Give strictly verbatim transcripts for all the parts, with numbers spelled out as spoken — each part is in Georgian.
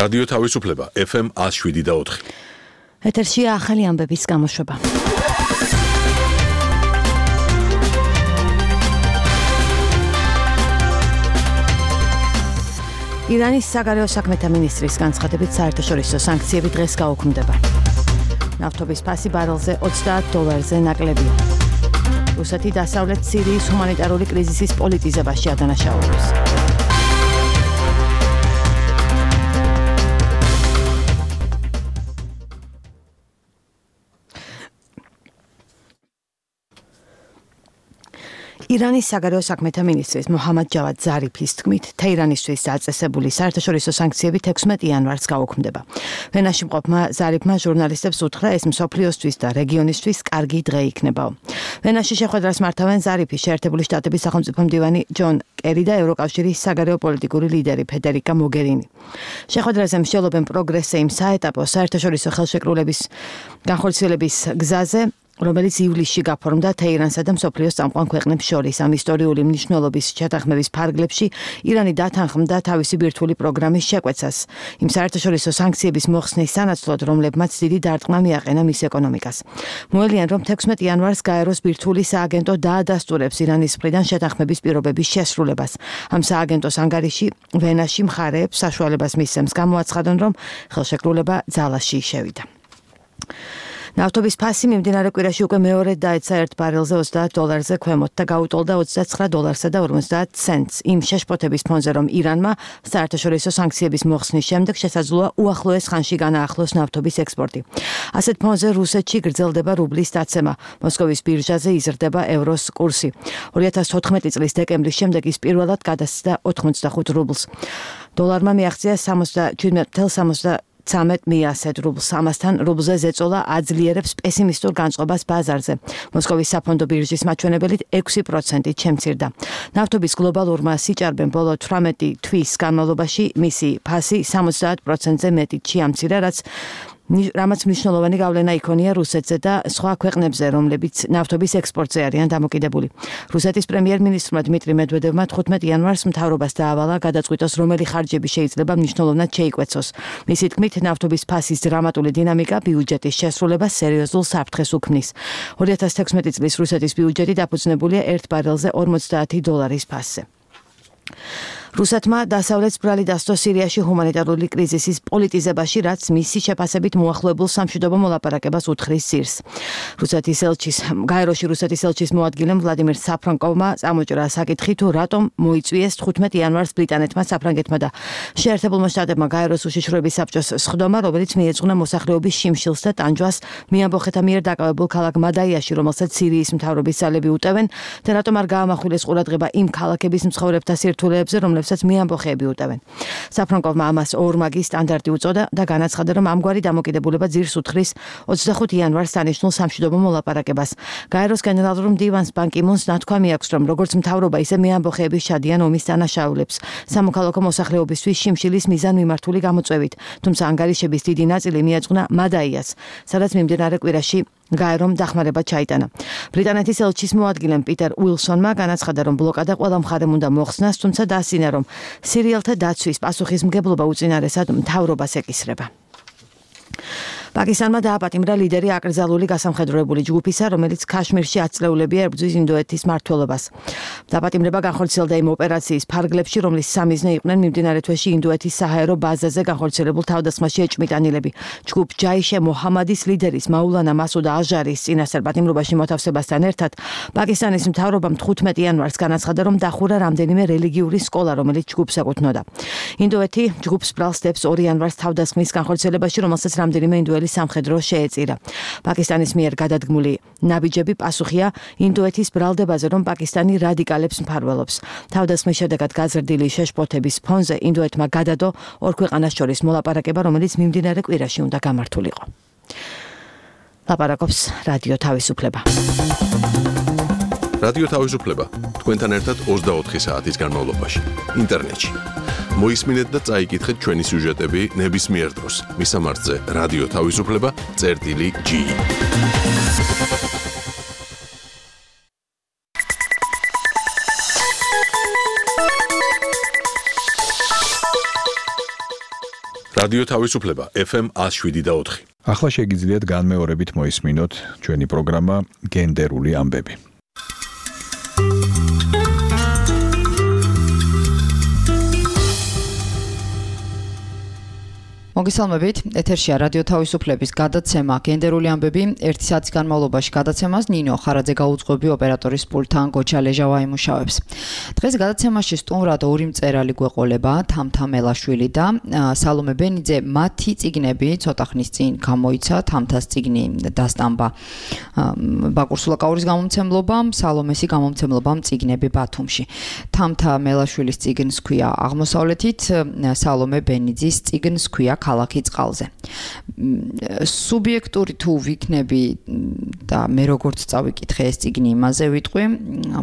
რადიო თავისუფლება ეფ ემ ათს შვიდი და ოთხი. ეთერშია ახალი ამბების გამოშვება. ირანის საგარეო საქმეთა მინისტრის განცხადებით საერთაშორისო სანქციები დღეს გაუქმდება. ნავთობის ფასი ბარელზე ოცდაათ დოლარზე ნაკლებია. რუსეთი დასავლეთ სირიის ჰუმანიტარული კრიზისის პოლიტიზებაში ადანაშაულებს. ირანის საგარეო საქმეთა მინისტრის მოჰამად ჯავად ზარიფის თქმით, თეირანისთვის დაწესებული საერთაშორისო სანქციები თექვსმეტ იანვარს გაუქმდება. ვენაში მყოფმა ზარიფმა ჟურნალისტებს უთხრა, ეს მსოფლიოსთვის და რეგიონისთვის კარგი დღე იქნებაო. ვენაში შეხვედრას მართავენ ზარიფი, შეერთებული შტატების სახელმწიფო მდივანი ჯონ კერი და ევროკავშირის საგარეო პოლიტიკური ლიდერი ფედერიკა მოგერინი. შეხვედრაზე მსჯელობენ პროგრესზე იმ საეტაპო საერთაშორისო ხელშეკრულების განხორციელების გზაზე, რომელიც ივლისში გაფორმდა თეირანსა და მსოფლიოს წამყვან ქვეყნებს შორის. ამ ისტორიული მნიშვნელობის შეთანხმების ფარგლებში ირანი დათანხმდა თავისი ბირთვული პროგრამის შეკვეცას, იმ საერთაშორისო სანქციების მოხსნის სანაცვლოდ, რომლებმაც დიდი დარტყმა მიაყენა მის ეკონომიკას. მოელიან, რომ თექვსმეტ იანვარს გაეროს ბირთვული სააგენტო დაადასტურებს ირანის მხრიდან შეთანხმების პირობების შესრულებას. ამ სააგენტოს ანგარიში ვენაში მხარეებს საშუალებას მისცემს გამოაცხადონ, რომ ხელშეკრულება ძალაში შევიდა. ნავთობის ფასი მიმდინარე კვირაში უკვე მეორედ დაეცა ერთ ბარელზე ოცდაათ დოლარზე ქვემოთ და გაუტოლდა ოცდაცხრა დოლარსა და ორმოცდაათ ცენტს. იმ შეშფოთების ფონზე, რომ ირანმა საერთაშორისო სანქციების მოხსნის შემდეგ შესაძლოა უახლოეს ხანში განაახლოს ნავთობის ექსპორტი. ასეთ ფონზე რუსეთში გრძელდება რუბლის დაცემა. მოსკოვის ბირჟაზე იზრდება ევროს კურსი. ორი ათას თოთხმეტი წლის დეკემბრის შემდეგ ის პირველად გადასცდა ოთხმოცდახუთ რუბლს. დოლარმა მიაღწია სამოცდაშვიდ წუთი სამოცდაცამეტ მიასედ რუბლს. ამასთან რუბლზე ზეწოლა აძლიერებს პესიმისტურ განწყობას ბაზარზე. მოსკოვის საფონდო ბირჟის მაჩვენებელით ექვსი პროცენტით შემცირდა. ნავთობის გლობალურმა სიჭარბემ ბოლო თვრამეტი თვის განმავლობაში მისი ფასი სამოცდაათ პროცენტზე მეტით შეამცირა, რაც რამაც მნიშვნელოვანი გავლენა იქონია რუსეთზე და სხვა ქვეყნებზე, რომლებიც ნავთობის ექსპორტზე არიან დამოკიდებული. რუსეთის პრემიერ-მინისტრმა დმიტრი მედვედევმა თხუთმეტ იანვარს მთავრობას დაავალა გადაწყვიტოს, რომელი ხარჯები შეიძლება მნიშვნელოვნად შეიკვეცოს. მისი თქმით, ნავთობის ფასის დრამატული დინამიკა ბიუჯეტის შესრულებას სერიოზულ საფრთხეს უქმნის. ორი ათას თექვსმეტი წლის რუსეთის ბიუჯეტი დაფუძნებულია ერთ ბარელზე ორმოცდაათი დოლარის ფასზე. რუსეთმა დასავლეთ ბრალი დასწო სირიაში ჰუმანიტარული კრიზისის პოლიტიზებაში, რაც მისი შეფასებით მოახლოებულ სამშვიდობო მოლაპარაკებას უთხრის ძირს. რუსეთის ელჩის გაეროში რუსეთის ელჩის მოადგილემ ვლადიმირ საფრანკოვმა წამოჭრა საკითხი, თუ რატომ მოიწვიეს თხუთმეტ იანვარს ბრიტანეთმა, საფრანგეთმა და შეერთებულმა შტატებმა გაეროს უშიშროების საბჭოს სხდომა, რომელიც მიეძღვნა მოსახლეობის შიმშილს და ტანჯვას მიამბოხეთა მიერ დაკავებულ ქალაქ მადაიაში, რომელსაც სირიის მთავრობის ძალები უტევენ და რატომ არ გაამახვილეს ყურადღება იმ ქალაქების მცხოვრებთა სირთულეებზე, რომლებსაც მიამბოხეები უტევენ. საფრანგოვმა ამას ორმაგი სტანდარტი უწოდა და განაცხადა, რომ ამგვარი დამოკიდებულება ძირს უთხრის ოცდახუთ იანვარს დანიშნულ სამშვიდობო მოლაპარაკებას. გაეროს გენერალურ მდივანს ბან კი მუნს ნათქვამი აქვს, რომ როგორც მთავრობა, ისე მიამბოხეები შადიან ომის დანაშაულებს სამოქალაქო მოსახლეობისთვის შიმშილის მიზანმიმართული გამოწვევით, თუმცა ანგარიშების დიდი ნაწილი მიეძღვნა მადაიას, სადაც მიმდინარე კვირაში გაერომ დახმარება ჩაიტანა. ბრიტანეთის ელჩის მოადგილემ პიტერ უილსონმა განაცხადა, რომ ბლოკადა ყველა მხარემ უნდა მოხსნას, თუმცა დაასინა, რომ სირიელთა დაცვის პასუხისმგებლობა უწინარესად მთავრობას ეკისრება. პაკისტანმა დააპატიმრა ლიდერი აკრძალული გასამხედროებული ჯგუფისა, რომელიც ქაშმირში აწლეულებია ებრძვის ინდოეთის მმართველობას. დაპატიმრება განხორციელდა იმ ოპერაციის ფარგლებში, რომლის სამიზნე იყვნენ მიმდინარე თვეში ინდოეთის საჰაერო ბაზაზე განხორციელებულ თავდასხმაში ეჭვმიტანილები. ჯგუფ ჯაიშე მოჰამადის ლიდერის მაულანა მასუდა აჟარის წინასწარ პატიმრობაში მოთავსებასთან ერთად პაკისტანის მთავრობამ თხუთმეტ იანვარს განაცხადა, რომ დახურა რამდენიმე რელიგიური სკოლა, რომელიც ჯგუფს ეკუთვნოდა. ინდოეთი ჯგუფს ბრალს დებს ორი იანვარს თავდასხმის განხორციელებაში, რომელსაც რამდენიმე ინდოელი სამხედრო შეეწირა. პაკისტანის მიერ გადადგმული ნაბიჯები პასუხია ინდოეთის ბრალდებაზე, რომ პაკისტანი რადიკალებს მფარველობს. თავდასხმის შედეგად გაზრდილი შეშფოთების ფონზე ინდოეთმა გადადო ორ ქვეყანას შორის მოლაპარაკება, რომელიც მიმდინარე კვირაში უნდა გამართულიყო. ლაპარაკობს რადიო თავისუფლება. რადიო თავისუფლება თქვენთან ერთად ოცდაოთხი საათის განმავლობაში ინტერნეტში. მოისმინეთ და წაიკითხეთ ჩვენი სიუჟეტები ნებისმიერ დროს. მისამართზე რადიო თავისუფლება წერტილი ჯი. რადიო თავისუფლება ეფ ემ one oh seven და four. ახლა შეგიძლიათ განმეორებით მოისმინოთ ჩვენი პროგრამა გენდერული ამბები. მოგესალმებით, ეთერშია რადიო თავისუფლების გადაცემა გენდერული ამბები. ერთი საათის განმავლობაში გადაცემას ნინო ხარაძე გაუძღვები, ოპერატორის პულტთან გოჩა ლეჟავა იმუშავებს. დღეს გადაცემაში სტუმრად ორი მწერალი გვეყოლება, თამთა მელაშვილი და სალომე ბენიძე. მათი წიგნები ცოტა ხნის წინ გამოიცა, თამთას წიგნი დასტამბა ბაკურ სულაკაურის გამომცემლობამ, სალომესი გამომცემლობამ წიგნები ბათუმში. თამთა მელაშვილის წიგნს ქვია აღმოსავლეთით, სალომე ბენიძის წიგნს ქვია ქალაქი წყალზე. სუბიექტური თუ ვიქნები და მე როგორც წავიკითხე ეს წიგნი იმაზე ვიტყვი,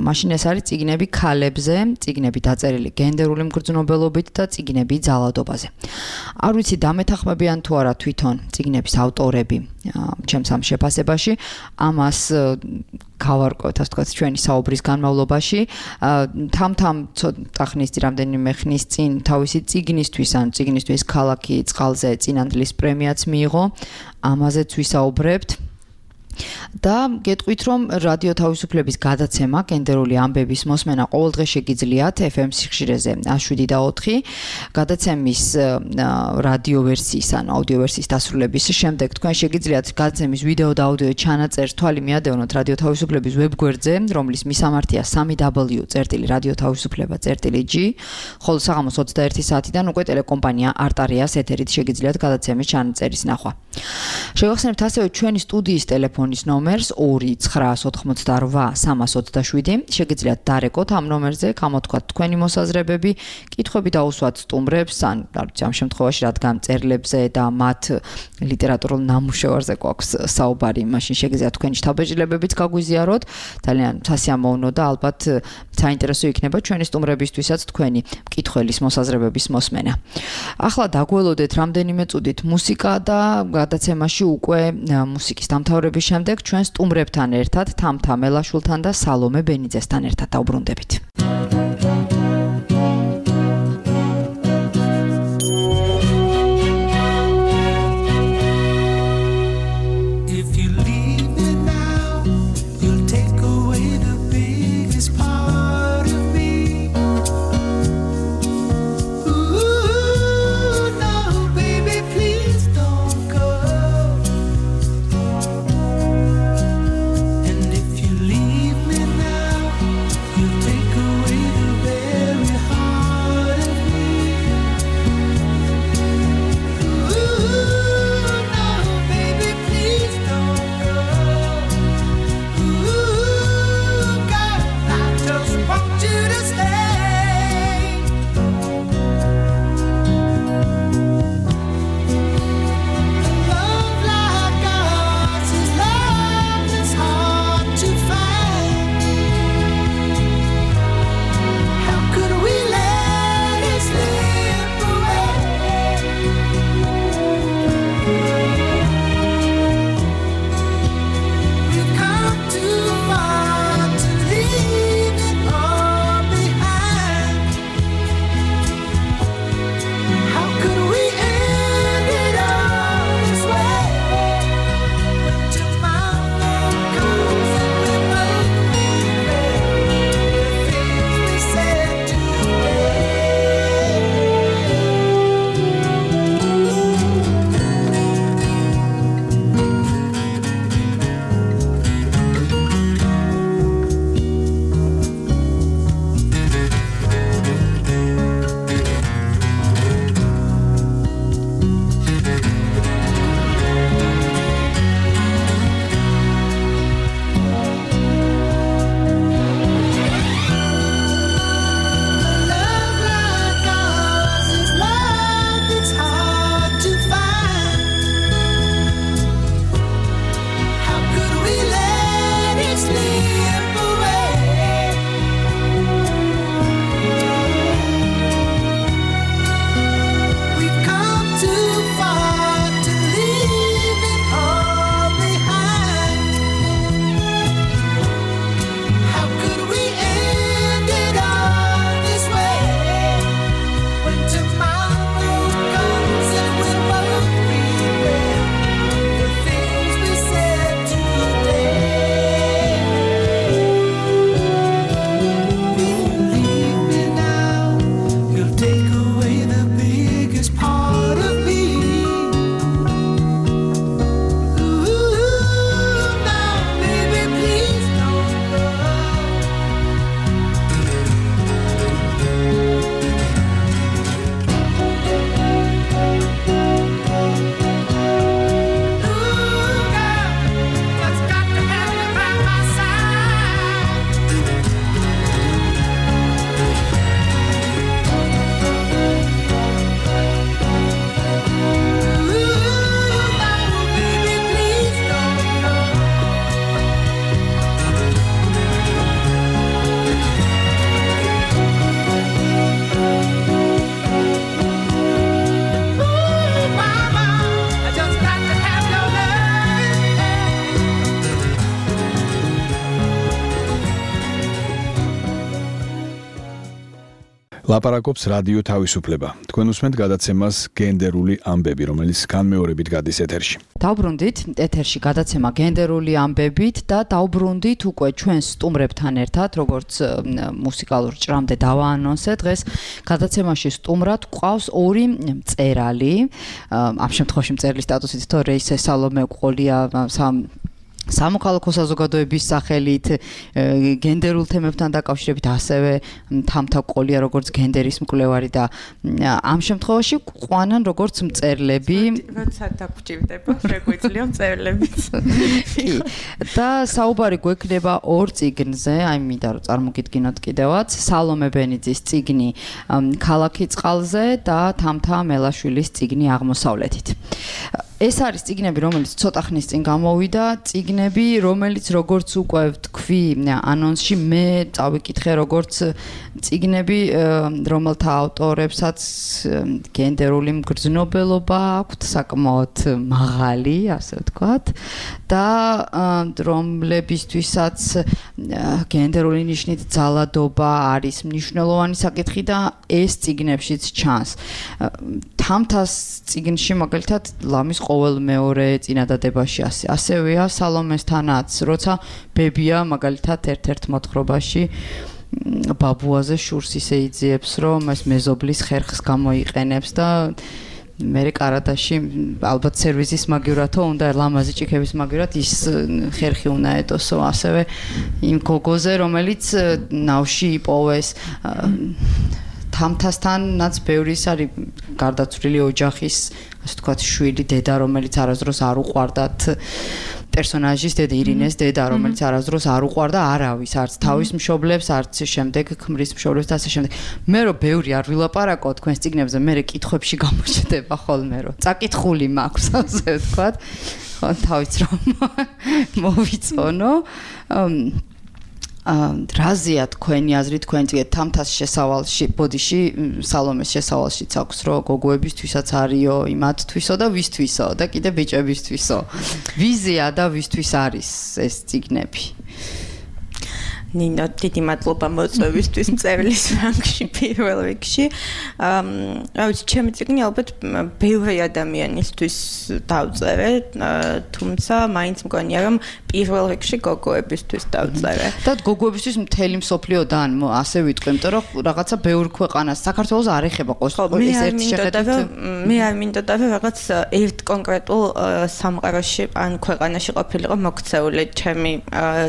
მაშინ ეს არის წიგნები ქალებზე, წიგნები დაწერილი გენდერული მგრძნობელობით და წიგნები ძალადობაზე. არ ვიცი დამეთანხმებიან თუ არა თვითონ წიგნების ავტორები ჩემს ამ შეფასებაში, ამას გავარკვევთ, ასე ვთქვათ, ჩვენი საუბრის განმავლობაში. თამთამ ცოტა ხნის წინ, რამდენიმე ხნის წინ თავისი წიგნისთვის, ან წიგნისთვის ქალაქი წყალზე წინანდლის პრემიაც მიიღო, ამაზეც ვისაუბრებთ. და გეტყვით, რომ რადიო თავისუფლების გადაცემა გენდერული ამბების მოსმენა ყოველდღე შეგიძლიათ ეფ ემ სიხშირეზე one oh seven და four. გადაცემის რადიო ვერსიის ან აუდიო ვერსიის დასრულების შემდეგ თქვენ შეგიძლიათ გადაცემის ვიდეო და აუდიო ჩანაწერს თვალი მიადევნოთ რადიო თავისუფლების ვებგვერდზე, რომლის მისამართია three w წერტილი რადიო თავისუფლება წერტილი g, ხოლო საღამოს twenty-one საათიდან უკვე ტელეკომპანია არტარიას ეთერით შეგიძლიათ გადაცემის ჩანაწერის ნახვა. შევახსენებთ ასევე ჩვენი სტუდიის ტელეფონის ნომერს two nine four eight three three seven. შეგიძლიათ დარეკოთ ამ ნომერზე, გამოთქვათ თქვენი მოსაზრებები, კითხვები დაუსვათ სტუმრებს, ან ამ შემთხვევაში რადგან წერლებზე და მათ ლიტერატურულ ნამუშევარზე გვაქვს საუბარი, მაშინ შეგიძლიათ თქვენი შთაბეჭდილებებიც გაგვიზიაროთ. ძალიან სასიამოვნო და ალბათ საინტერესო იქნება ჩვენი სტუმრებისთვისაც თქვენი მკითხველის მოსაზრებების მოსმენა. ახლა დაგველოდეთ რამდენიმე წუთით მუსიკა და გადაცემაში უკვე მუსიკის დამთავრების შემდეგ ჩვენ სტუმრებთან ერთად თამთა მელაშვილთან და სალომე ბენიძესთან ერთად დავბრუნდებით. Take ლაპარაკობს რადიო თავისუფლება. თქვენ უსმენთ გადაცემას გენდერული ამბები, რომელიც განმეორებით გადის ეთერში. დავბრუნდით ეთერში გადაცემა გენდერული ამბებით და დავბრუნდით უკვე ჩვენ სტუმრებთან ერთად, როგორც მუსიკალურ ჭრამდე დავაანონსე, დღეს გადაცემაში სტუმრად გვყავს ორი მწერალი. ამ შემთხვევაში მწერლის სტატუსით თო რეისე სალომე ყოლია სამოქალაქო საზოგადოების სახელით გენდერულ თემებთან დაკავშირებით, ასევე თამთა ყოლია როგორც გენდერის მკვლევარი და ამ შემთხვევაში ყვანან როგორც მწერლები. როცა დაგჭირდება, შეგვიძლია მწერლებიც. კი. და საუბარი გვექნება ორ წიგნზე, აი მინდა რომ წარმოგიდგინოთ კიდევაც, სალომე ბენიძის წიგნი ქალაქი წყალზე და თამთა მელაშვილის წიგნი აღმოსავლეთით. ეს არის წიგნები, რომელიც ცოტა ხნის წინ გამოვიდა, წიგნები, რომელიც როგორც უკვე თქვი ანონსში, მე წავიკითხე როგორც წიგნები, რომელთა ავტორებსაც გენდერული მგრძნობელობა აქვთ საკმაოდ მაღალი, ასე ვთქვათ, და რომლებისთვისაც გენდერული ნიშნით ძალადობა არის მნიშვნელოვანი საკითხი და ეს წიგნებშიც ჩანს. თამთას წიგნში მაგალითად ლამის ყოველ მეორე წინადადებაში ასე ასევეა სალომესთანაც, როცა ბებია მაგალითად ერთ-ერთ მოთხრობაში ბაბუაზე შურს ისე იძიებს, რომ ეს მეზობლის ხერხს გამოიყენებს და მერე კარადაში ალბათ სერვიზის მაგივრათო უნდა ლამაზი ჭიქების მაგივრად ის ხერხი უნდა ეტოსო, ასევე იმ გოგოზე, რომელიც ნავში იპოვეს. თამთასთანაც ბევრი არის გარდაცვლილი ოჯახის, ასე ვთქვათ, შვილი, დედა, რომელიც არასდროს არ უყვარდათ პერსონაჟის დედა ირინეს დედა, რომელიც არასდროს არ უყვარდა არავის, არც თავის მშობლებს, არც შემდეგ ქმრის მშობლებს და ასე შემდეგ. მე რომ ბევრი არ ვილაპარაკო თქვენს წიგნებზე, მე კითხვებში გამოჩნდება ხოლმე, რომ წაკითხული მაქვს, ასე ვთქვათ. ხო, თავიც რომ მოვიწონო. რაზეა თქვენი აზრი, თქვენ წიგნით თამთას შესავალში, ბოდიში, სალომეს შესავალშიც აქვს, რომ გოგოებისთვისაც არისო, იმათთვისო და ვისთვისო და კიდე ბიჭებისთვისო. ვიზია და ვისთვის არის ეს წიგნები? ნინო, დიდი მადლობა მოწვევისთვის მწერლის ფრანგში პირველ რიგში. რა ვიცი, ჩემი წიგნი ალბათ ბევრი ადამიანისთვის დავწერე, თუმცა მაინც მგონია რომ პირველ რიგში გოგოებისთვის დავწერე. და გოგოებისთვის მთელი მსოფლიოდან ასე ვიტყვი, იმიტომ რომ რაღაცა ბევრ ქვეყანას საქართველოს არ ეხება ყოველთვის ერთი შეხედვით. მე არ მინდოდა რომ რაღაც ერთ კონკრეტულ სამყაროში ან ქვეყანაში ყოფილიყო მოქცეული ჩემი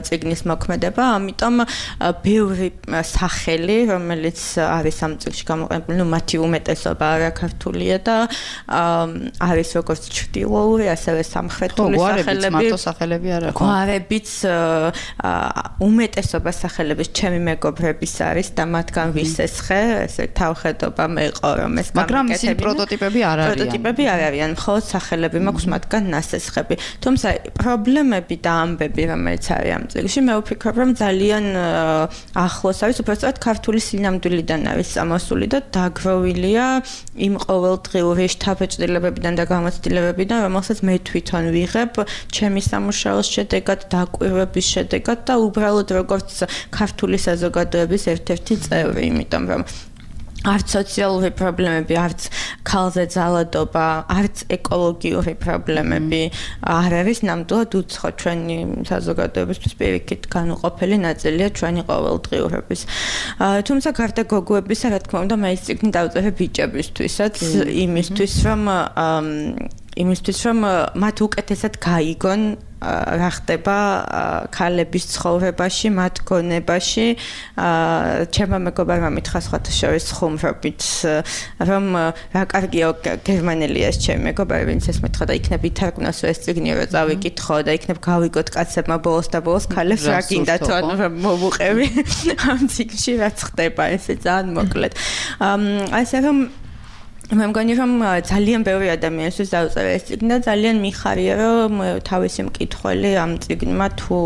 წიგნის მოქმედება, ამიტომ ბევრი სახელი, რომელიც არის ამ წიგნში გამოყენებული, ну მათი უმეტესობა არა ქართულია და არის როგორც ჩრდილოური, ასევე სამხრეთული სახელები. მარტო სახელები არა ხო? გვარებიც უმეტესობა სახელების ჩემი მეგობრების არის და მათგან ვისესხე, ესე თავხედობა მეყო, რომ ეს მაგრამ ის პროტოტიპები არ არიან. პროტოტიპები არ არიან, მხოლოდ სახელები მაქვს მათგან ნასესხები. თუმცა პრობლემები და ამბები, რომელიც არის ამ წიგნში, მე ვფიქრობ, რომ ძალიან ახლოს არის, უბრალოდ ქართული სინამდვილიდან არის წამოსული და დაგროვილია იმ ყოველდღიური შთაბეჭდილებებიდან და გამოცდილებებიდან, რომელსაც მე თვითონ ვიღებ ჩემი სამუშაოს შედეგად, დაკვირვების შედეგად და უბრალოდ როგორც ქართული საზოგადოების ერთ-ერთი წევრი, იმიტომ რომ არც სოციალური პრობლემები, არც ქალზე ძალადობა, არც ეკოლოგიური პრობლემები არ არის ნამდვილად უცხო ჩვენი საზოგადოებისთვის პირიქით განუყოფელი ნაწილია ჩვენი ყოველდღიურობის. თუმცა გარდა გოგოებისა, რა თქმა უნდა, მე ეს წიგნი დავწერე ბიჭებისთვისაც, იმისთვის რომ იმისთვის რომ მათ უკეთესად გაიგონ რა ხდება ქალების ცხოვრებაში, მათ გონებაში. ჩემმა მეგობარმა მითხრა სხვათა შორის ხუმრობით, რომ რა კარგია გერმანელია ეს ჩემი მეგობარი, ვინც ეს მითხრა და იქნებ ითარგმნოს ეს წიგნი, რომ წავიკითხო და იქნებ გავიგოთ კაცებმა ბოლოს და ბოლოს ქალებს რა გინდათ, ანუ რომ მოვუყევი ამ წიგნში რაც ხდება, ესე ძალიან მოკლედ. ასე რომ მე მგონი რომ ძალიან ბევრი ადამიანისთვის დავწერე ეს წიგნი და ძალიან მიხარია რომ თავისი მკითხველი ამ წიგნმა თუ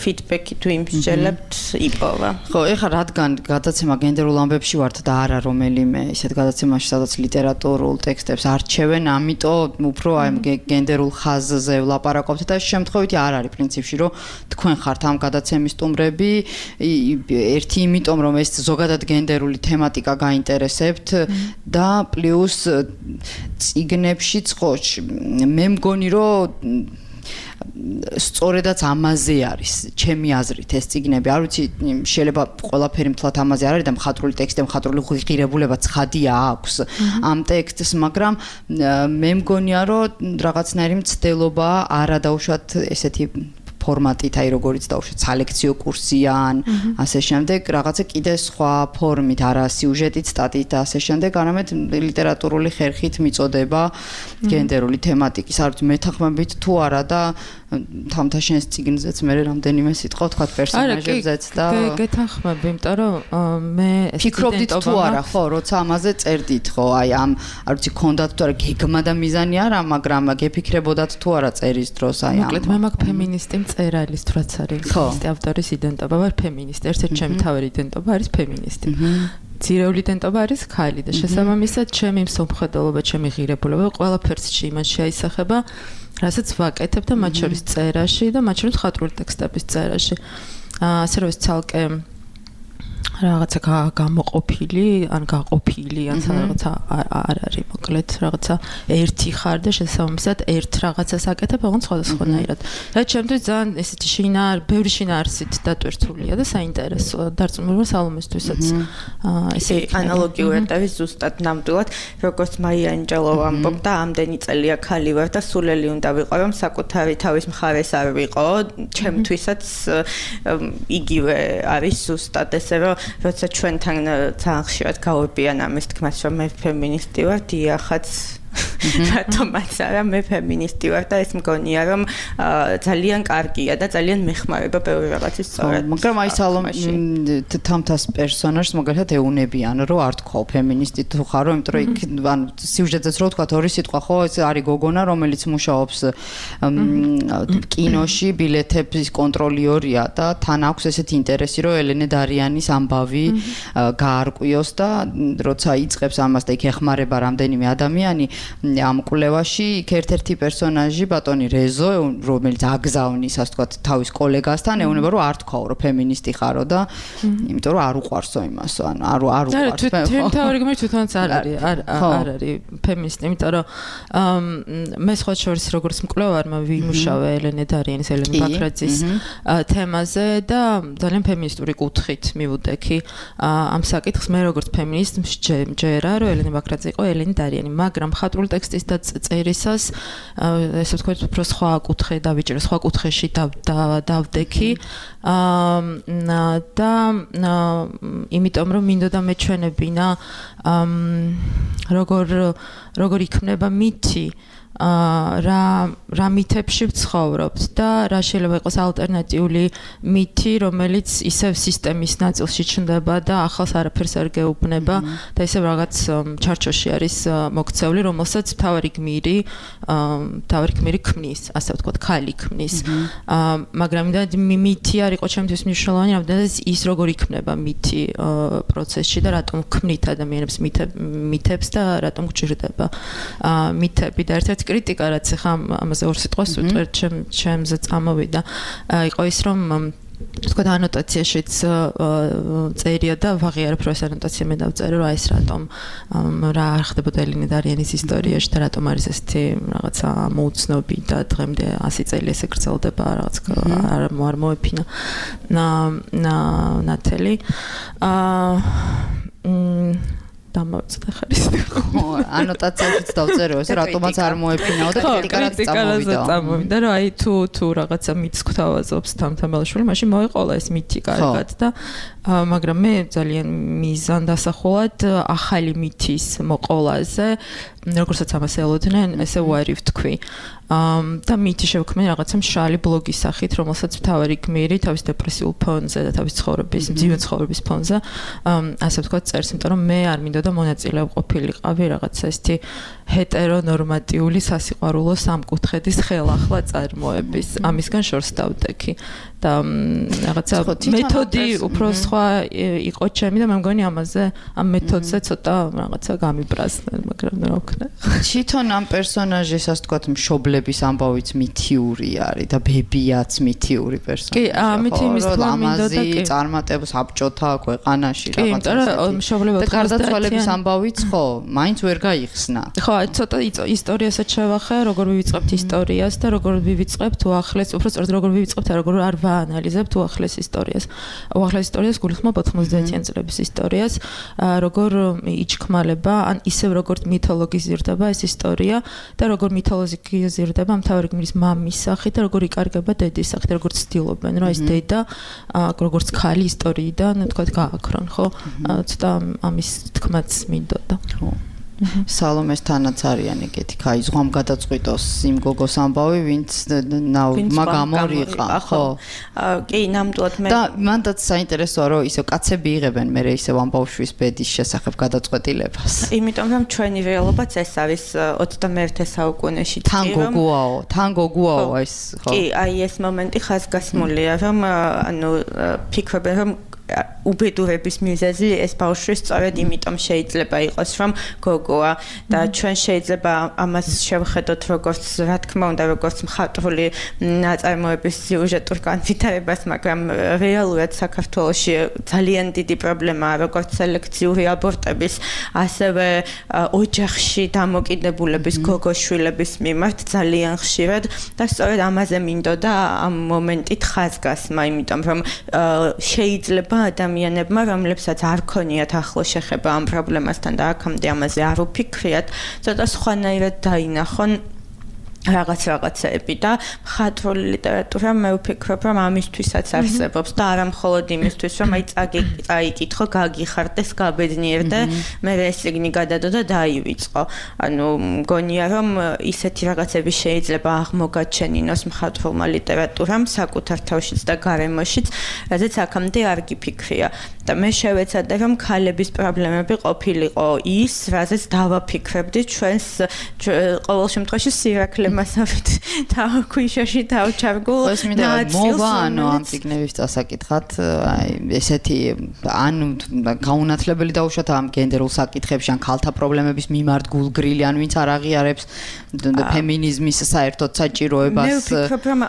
ფიდბექი თუ იმსჯელებთ იპოვა. ხო, ეხლა რადგან გადაცემა გენდერულ ამბებში ვართ და არა რომელიმე ისეთ გადაცემაში, სადაც ლიტერატურულ ტექსტებს არჩევენ, ამიტომ უფრო აი გენდერულ ხაზზე ვლაპარაკობთ და შემთხვევითი არ არის პრინციპში, რომ თქვენ ხართ ამ გადაცემის სტუმრები, ერთი იმიტომ რომ ეს ზოგადად გენდერული თემატიკა გაინტერესებთ და პლუს წიგნებშიც ხო მე მგონი რომ სწორედაც ამაზე არის ჩემი აზრით ეს წიგნები არ ვიცი შეიძლება ყველაფერი მთლად ამაზე არ არის და მხატვრული ტექსტი მხატვრული ღირებულება ცხადია აქვს ამ ტექსტს მაგრამ მე მგონია რომ რაღაცნაირი მცდელობა არა დაუშვათ ესეთი ფორმატით, აი როგორიც დაუშვათ სალექციო კურსიან, ასე შემდეგ, რაღაცა კიდე სხვა ფორმით, არა სიუჟეტით, სტატიით და ასე შემდეგ, არამედ ლიტერატურული ხერხით მიწოდება გენდერული თემატიკის, არ ვიცი მეთანხმებით თუ არა და თამთაშენს წიგნზეც მე რამდენიმე სიტყვა ვთქვათ პერსონაჟებზეც და გეთანხმები, იმიტომ რომ მე ფიქრობდით თუ არა, ხო, როცა ამაზე წერდით, ხო, აი ამ არ ვიცი ქონდათ თუ არა გეგმა და მიზანი არა, მაგრამ გეფიქრებოდათ თუ არა წერის დროს აი ამ მოკლედ მე მაგ ფემინისტი მწერალის თუ რაც არის ფემინისტი ავტორის იდენტობა ვარ ფემინისტი, ერთ-ერთი ჩემი თავი იდენტობა არის ფემინისტი. ძირეული იდენტობა არის ქალი და შესაბამისად ჩემი მსოფლმხედველობა, ჩემი ღირებულება ყველაფერს იმას შეაისახება რასაც ვაკეთებ და მათ შორის წერაში და მათ შორის მხატვრული ტექსტების წერაში. ასე რომ ეს ცალკე რაღაცა გამოყოფილი, ან გაყოფილი, ან რაღაცა არ არის, მოკლედ რაღაცა ერთი ხარ და შესაბამისად ერთ რაღაცას აკეთებ, ოღონდ სხვადასხვანაირად. რაც შემთხვევით ძალიან ესეთი შინაარ, ბევრი შინაარსით დატვირთულია და საინტერესოა დარწმუნებულმა სალომესთვისაც. ესე ანალოგიურად არის ზუსტად ნამდვილად, როგორც მაია ანჯელოვა ამბობდა, ამდენი წელია ქალი ვარ და სულელი უნდა ვიყო, რომ საკუთარი თავის მხარეს არ ვიყო, ჩემთვისაც იგივე არის ზუსტად ესე რომ როცა ჩვენთან ძალიან ხშირად გავებიან ამის თქმას რომ მე ფემინისტი ვარ, დიახაც რატომაც არა მე ფემინისტი ვარ და ეს მგონია რომ ძალიან კარგია და ძალიან მეხმარება ბევრი რაღაცის სწორად. მაგრამ აი სალომ თამთას პერსონაჟს მაგალითად ეუნებიან რომ არ თქვა ფემინისტი თუ ხარო, იმიტომ რომ იქ ან სიუჟეტზეც რო თქვა ორი სიტყვა ხო ეს არის გოგონა რომელიც მუშაობს კინოში, ბილეთების კონტროლიორია და თან აქვს ესეთი ინტერესი რომ ელენე დარიანის ამბავი გაარკვიოს და როცა იწყებს ამას და იქ ეხმარება რამდენიმე ადამიანი ამ კვლევაში იქ ერთ-ერთი პერსონაჟი ბატონი რეზო რომელიც აგზავნის ასე ვთქვათ თავის კოლეგასთან ეუბნება რომ არ თქვაო რომ ფემინისტი ხარო და იმიტომ რომ არ უყვარსო იმასო ანუ არ არ უყვარს თვითონ თავი გმირ თვითონაც არ არის არ არ არის ფემინისტი იმიტომ რომ მე სხვა შორის როგორც მკვლევარმა ვიმუშავე ელენე დარიანის ელენე ბაქრაძის თემაზე და ძალიან ფემინისტური კუთხით მივუდექი ამ საკითხს მე როგორც ფემინისტ მჯერა რომ ელენე ბაქრაძე იყო ელენე დარიანი მაგრამ მხატვრული ტექსტის და წერისას ესე ვთქვათ უფრო სხვა კუთხე დავიჭერე სხვა კუთხეში დავდექი და იმიტომ რომ მინდოდა მეჩვენებინა როგორ როგორ იქმნება მითი რა რა მითებში ვცხოვრობთ და რა შეიძლება იყოს ალტერნატიული მითი, რომელიც ისევ სისტემის ნაწილში ჩნდება და ახალს არაფერს არ გეუბნება და ისევ რაღაც ჩარჩოში არის მოქცეული, რომელსაც თავარი გმირი, თავარი გმირი ქმნის, ასე ვთქვათ, ქალი ქმნის. მაგრამ და მითი არ იყო ჩემთვის მნიშვნელოვანი, რამდენადაც ის როგორ იქმნება მითი პროცესში და რატომ ქმნით ადამიანებს მითებს და რატომ გჭირდება მითები და ერთ-ერთი კრიტიკა რაც ახლა ამაზე ორ სიტყვას ვიტყვი ჩემ ჩემზე წამოვიდა იყო ის რომ თქვა ანოტაციაშიც წერია და ვაღიარებ რომ ეს ანოტაცია მე დავწერე რომ აი ეს რატომ რა არ ხდებოდა ელენე დარიანის ისტორიაში და რატომ არის ესეთი რაღაცა მოუცნობი და დღემდე ასი წელი ესე გრძელდება რაღაც არ არ მოეფინა ნათელი აა დამავწდა ხარის ხო ანოტაციაშიც დავწერე ეს რატომაც არ მოეფინაო და კრიტიკარაც წამოვიდა რომ აი თუ თუ რაღაცა მითს გვთავაზობს თამთამელაშვილი მაშინ მოეყოლა ეს მითი კარგად და მაგრამ მე ძალიან მიზანდასახულად ახალი მითის მოყოლაზე როგორცაც ამას ელოდნენ ესე ვარი ვთქვი და მითი შევქმნი რაღაცა მშრალი ბლოგის სახით რომელსაც მთავარი გმირი თავის დეპრესიულ ფონზე და თავის ცხოვრების მძიმე ცხოვრების ფონზე ასე ვთქვათ წერს იმიტომ რომ მე არ მინდოდა და მონაწილე ყოფილიყავი რაღაცა ესეთი ჰეტერონორმატიული სასიყვარულო სამკუთხედის ხელახლა წარმოების ამისგან შორს დავდექი და რაღაცა მეთოდი უფრო სხვა იყო ჩემი და მე მგონი ამაზე ამ მეთოდზე ცოტა რაღაცა გამიბრაზდნენ მაგრამ რა ვქნა თვითონ ამ პერსონაჟის ასე ვთქვათ მშობლების ამბავიც მითიური არის და ბებიაც მითიური პერსონაჟია კი ამით იმის თქმა მინდოდა კი წარმატებს აბჭოთა ქვეყანაში რაღაცა კი მაგრამ მშობლებად და გარდაცვალების ამბავიც ხო მაინც ვერ გაიხსნა ხო ცოტა ისტორიასაც შევახე როგორ ვივიწყებთ ისტორიას და როგორ ვივიწყებთ უახლეს უფრო სწორედ როგორ ვივიწყებთ და როგორ არ ვაანალიზებთ უახლეს ისტორიას უახლეს ისტორიას გულისხმობ ოთხმოცდაათიან წლების ისტორიას როგორ იჩქმალება ან ისევ როგორც მითოლოგიზირდება ეს ისტორია და როგორ მითოლოგიზირდება მთავარი გმირის მამის სახით და როგორ იკარგება დედის სახით და როგორ ცდილობენ რომ ეს დედა როგორც ქალი ისტორიიდან თქვა გააქრონ ხო ცოტა ამის თქმაც მინდოდა ხო სალომეს თანაც არიან ეგეთი კაი ზღვამ გადაწყვიტოს იმ გოგოს ამბავი ვინც მაგამორიყა ხო კი ნამდვილად მე და მანდაც საინტერესოა რომ ისე კაცები იღებენ მე ისე ამბავშვის ბედის შესახებ გადაწყვეტილებას იმიტომ რომ ჩვენი რეალობაც ეს არის ოცდამეერთე საუკუნეში თან გოგოაო თან გოგოაო ეს ხო კი აი ეს მომენტი ხაზგასმულია რომ ანუ ფიქრობენ რომ უბედურების მიზეზი ეს ბავშვი სწორედ იმიტომ შეიძლება იყოს რომ გოგოა და ჩვენ შეიძლება ამას შევხედოთ როგორც რა თქმა უნდა როგორც მხატვრული ნაწარმოების სიუჟეტურ განვითარებას მაგრამ რეალურად საქართველოში ძალიან დიდი პრობლემაა როგორც სელექციური აბორტების ასევე ოჯახში დამოკიდებულების გოგოშვილების მიმართ ძალიან ხშირად და სწორედ ამაზე მინდოდა ამ მომენტით ხაზგასმა იმიტომ რომ შეიძლება ადამიანებმა, რომლებსაც არ ქონიათ ახლო შეხება ამ პრობლემასთან და აქამდე ამაზე არ უფიქრიათ, ცოტა სხვანაირად დაინახონ რაღაც რაღაცები და მხატვრული ლიტერატურა მე ვფიქრობ რომ ამისთვისაც არსებობს და არა მხოლოდ იმისთვის რომ აი წაიკითხო, გაგიხარდეს, გაბედნიერდე, მე ეს სიგნი გადადო და დაივიწყო. ანუ მგონია რომ ისეთი რაღაცები შეიძლება აღმოგაჩენინოს მხატვრულმა ლიტერატურამ საკუთარ თავშიც და გარემოშიც, რადგან აქამდე არ გიფიქრია. და მე შევეცადე რომ ქალების პრობლემები ყოფილიყო ის, რაზეც დავაფიქრებდი ჩვენს ყოველ შემთხვევაში სირაკლე მასავით თავქვიშაში თავჩარგულ მოვა ანუ ამ ციგნების დასაკითხად აი ესეთი ან გაუნათლებელი დაუშვათ ამ გენდერულ საკითხებში ან ქალთა პრობლემების მიმართ გულგრილი ან ვინც არ აღიარებს ფემინიზმის საერთოდ საჭიროებას მე ვფიქრობ რომ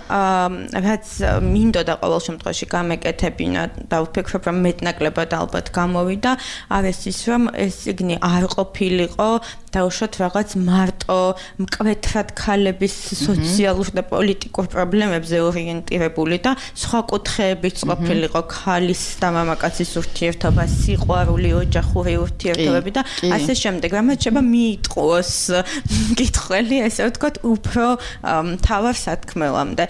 რაც მინდოდა ყოველ შემთხვევაში გამეკეთებინა და ვფიქრობ რომ მეტნაკლებად ალბათ გამოვიდა არის ის რომ ეს ციგნი არ ყოფილიყო დაუშვათ რაღაც მარტო მკვეთრად ქალების სოციალურ და პოლიტიკურ პრობლემებზე ორიენტირებული და სხვა კუთხეებიც ყოფილიყო ქალის და მამაკაცის ურთიერთობა, სიყვარული, ოჯახური ურთიერთობები და ასე შემდეგ. რამაც შეიძლება მიიტყუოს კითხველი, ესე ვთქვათ, უფრო მთავარ სათქმელამდე.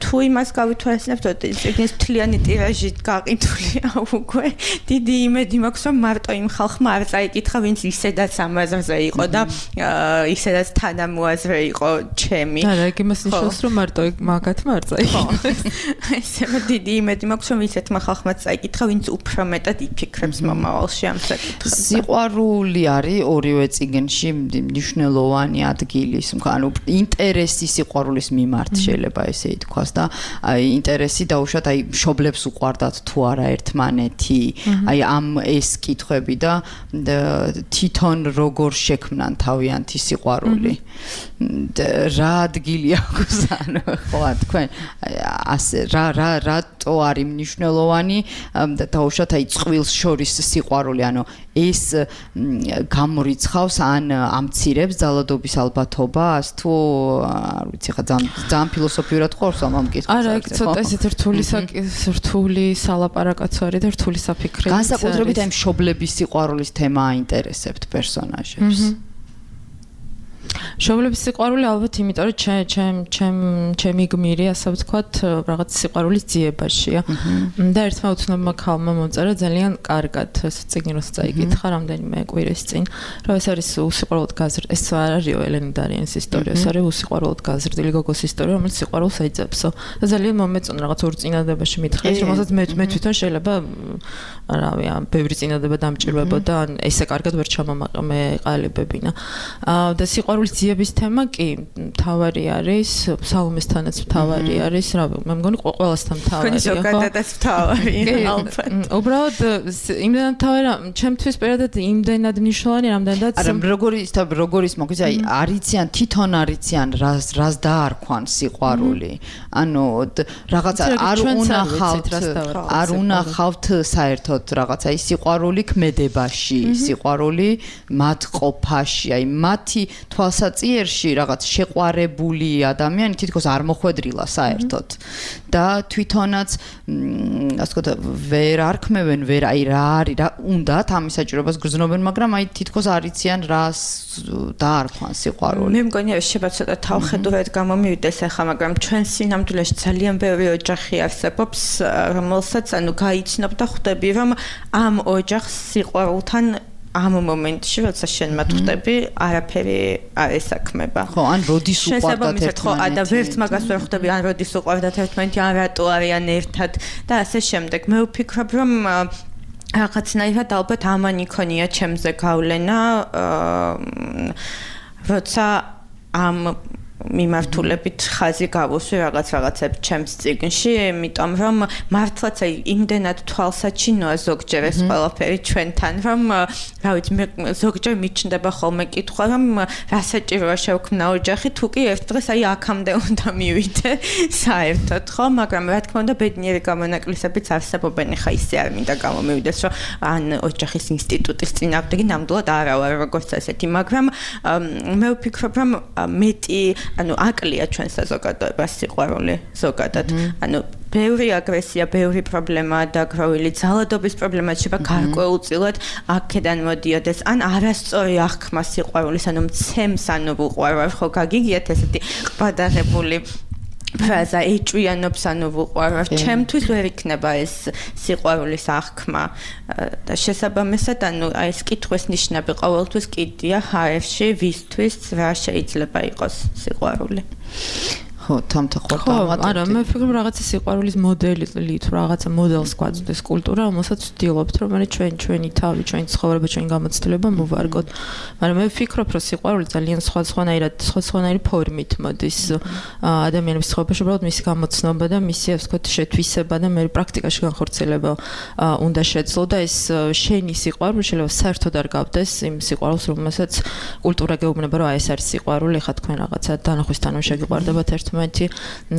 თუ იმას გავითვალისწინებთ, რომ ციგნის მთლიანი ტირაჟი გაყიდულია უკვე, დიდი იმედი მაქვს, რომ მარტო იმ ხალხმა არ წაიკითხა, ვინც ისედაც ამაზე იყო და ისედაც თანამოაზრე იყო ჩემი. და რა იმას ნიშნავს რომ მარტო მაგათმა არ წაიკითხა. ესე დიდი იმედი მაქვს რომ ისეთმა ხალხმა წაიკითხა, ვინც უფრო მეტად იფიქრებს მომავალში ამ საკითხებზე. სიყვარული არის ორივე წიგნში მნიშვნელოვანი ადგილის, ანუ ინტერესი სიყვარულის მიმართ შეიძლება ესე ითქვას და აი ინტერესი დაუშვათ აი მშობლებს უყვარდათ თუ არა ერთმანეთი, აი ამ ეს კითხვები და თვითონ როგორ შექმნან თავიანთი სიყვარული. რა ადგილი აქვს ანუ ხო თქვენ ასე რა რა რატო არის მნიშვნელოვანი და დაუშვათ აი წყვილს შორის სიყვარული ანუ ეს გამორიცხავს ან ამცირებს ძალადობის ალბათობას თუ არ ვიცი ხა ძალიან ფილოსოფიურად ხორს ამ კითხვას არა ეგ ცოტა ესეთ რთული რთული სალაპარაკოც არის და რთული საფიქრებიც არის განსაკუთრებით აი მშობლების სიყვარულის თემა აინტერესებთ პერსონაჟებს მშობლების სიყვარული ალბათ იმიტომ რომ ჩემ ჩემ ჩემ ჩემი გმირი ასე ვთქვათ რაღაც სიყვარულის ძიებაშია და ერთმა უცნობმა ქალმა მომწერა ძალიან კარგად ეს წიგნი როცა წაიკითხა რამდენიმე კვირის წინ რომ ეს არის უსიყვარულოდ გაზრდილი ეს არ არისო ელენე დარიანის ისტორია ეს არის უსიყვარულოდ გაზრდილი გოგოს ისტორია რომელიც სიყვარულს აიძებსო და ძალიან მომეწონა რაღაც ორ წინადებაში მითხეს რომელსაც მე მე თვითონ შეიძლება რავი ამ ბევრი წინადება დამჭირვებოდა ან ესე კარგად ვერ ჩამომაყალიბებინა და სიყვარულის ძიების თემა კი მთავარი არის სალომესთანაც მთავარი არის რა მე მგონი ყველასთან მთავარია ხო ზოგადადაც მთავარია ალბათ უბრალოდ იმდენად მთავარია ჩემთვის პირადად იმდენად მნიშვნელოვანი რამდენადაც არა როგორი ის როგორის მოგვიძა აი არიციან თვითონ არიციან რას რას დაარქვან სიყვარული ანუ რაღაცა არ უნახავთ არ უნახავთ საერთოდ რაღაცა ის სიყვარული ქმედებაში სიყვარული მათ ყოფაში აი მათი თვალსაწიერში რაღაც შეყვარებული ადამიანი თითქოს არ მოხვედრილა საერთოდ და თვითონაც ასე ვთქვათ ვერ არქმევენ ვერ აი რა არის რა უნდათ ამის საჭიროებას გრძნობენ მაგრამ აი თითქოს არიციან რას დაარქვან სიყვარული მე მგონია შეიძლება ცოტა თავხედურად გამომივიდეს ახლა მაგრამ ჩვენ სინამდვილეში ძალიან ბევრი ოჯახი არსებობს რომელსაც ანუ გაიცნობ და ხვდები რომ ამ ოჯახს სიყვარულთან ამ მომენტში როცა შენ მათ ხვდები არაფერი არ ესაქმება ხო ან როდის უყვარდათ ერთმანეთი და ვერც მაგას ვერ ხვდები ან როდის უყვარდათ ერთმანეთი ან რატო არიან ერთად და ასე შემდეგ მე ვფიქრობ რომ რაღაცნაირად ალბათ ამან იქონია ჩემზე გავლენა როცა ამ მიმართულებით ხაზი გავუსვი რაღაც რაღაცებს ჩემს წიგნში, იმიტომ რომ მართლაც აი იმდენად თვალსაჩინოა ზოგჯერ ეს ყველაფერი ჩვენთან, რომ რა ვიცი, მე ზოგჯერ მიჩნდება ხოლმე კითხვა, რომ რა საჭიროა შევქმნა ოჯახი, თუ კი ერთ დღეს აი აქამდე უნდა მივიდე საერთოდ, ხო, მაგრამ რა თქმა უნდა ბედნიერი გამონაკლისებიც არსებობენ, ხა ისე არ მინდა გამომივიდეს, რომ ან ოჯახის ინსტიტუტის წინააღმდეგი ნამდვილად არა ვარ როგორც ასეთი, მაგრამ მე ვფიქრობ, რომ მეტი ანუ აკლია ჩვენ საზოგადოებას სიყვარული ზოგადად. ანუ ბევრი აგრესია, ბევრი პრობლემაა დაგროვილი, ძალადობის პრობლემა შეიძლება გარკვეულწილად აქედან მოდიოდეს. ან არასწორი აღქმა სიყვარულის, ანუ მცემს, ანუ ვუყვარვარ, ხო გაგიგიათ ესეთი ყბადაღებული ფრაზა ეჭვიანობს, ანუ ვუყვარვარ. ჩემთვის ვერ იქნება ეს სიყვარულის აღქმა და შესაბამისად, ანუ ეს კითხვის ნიშნები ყოველთვის კიდია ჰაერში, ვისთვის რა შეიძლება იყოს სიყვარული. ხო, თამთაყვა დამატებდი. არა, მე ვფიქრობ რაღაცა სიყვარულის მოდელი თუ რაღაცა მოდელს გვაწვდის კულტურა, რომელსაც ვცდილობთ, რომ მე ჩვენ ჩვენი თავი, ჩვენი ცხოვრება, ჩვენი გამოცდილება მოვარგოთ. მაგრამ მე ვფიქრობ, რომ სიყვარული ძალიან სხვადასხვანაირად, სხვადასხვანაირი ფორმით მოდის ადამიანების ცხოვრებაში, უბრალოდ მისი გამოცნობა და მისი, ასე ვთქვათ, შეთვისება და მე პრაქტიკაში განხორციელება უნდა შეძლო და ეს შენი სიყვარული შეიძლება საერთოდ არ გავდეს იმ სიყვარულს, რომელსაც კულტურა გეუბნება, რომ აი ეს არის სიყვარული, ხა თქვენ რაღაცა დანახვისთანავე შეგიყვარდებათ ერთ მეთი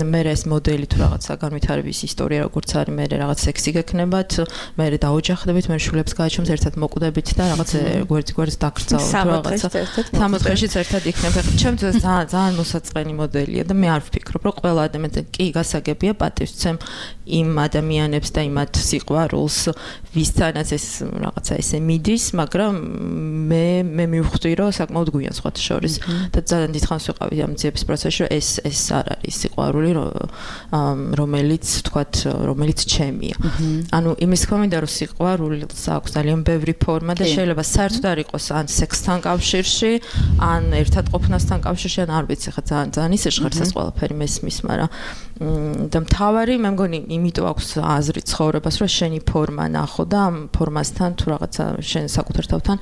მე ეს მოდელი თუ რაღაცა განვითარების ისტორია როგორც არის მე რაღაც სექსი გექნებათ მე დაოჯახდებით მე შულებს გააჩვენთ ერთად მოკვდებით და რაღაც გვერდ გვერდ დაკრძალოთ რაღაცა სამოთხეშიც ერთად იქნებ ჩემთვის ძალიან ძალიან მოსაწყენი მოდელია და მე არ ვფიქრობ რომ ყველა ადამიანი კი გასაგებია პატივცემ იმ ადამიანებს და იმათ სიყვარულს ვისთანაც ეს რაღაცა ესე მიდის მაგრამ მე მე მივხვდი რომ საკმაოდ გვიან სხვათა შორის და ძალიან დიდხანს ვიყავი ამ ძიების პროცესში რომ ეს ეს არ არის სიყვარული რომელიც თქვათ რომელიც ჩემია. ანუ იმის თქმა მინდა რომ სიყვარულს აქვს ძალიან ბევრი ფორმა და შეიძლება საერთოდ არ იყოს ან სექსთან კავშირში, ან ერთად ყოფნასთან კავშირში, ან არ ვიცი ხა ძალიან ძალიან ისე ჟღერცას ყველაფერი მესმის, მაგრამ და მთავარი მე მგონი იმიტომ აქვს აზრი ცხოვრებას რომ შენი ფორმა ნახო და ამ ფორმასთან თუ რაღაცა შენ საკუთარ თავთან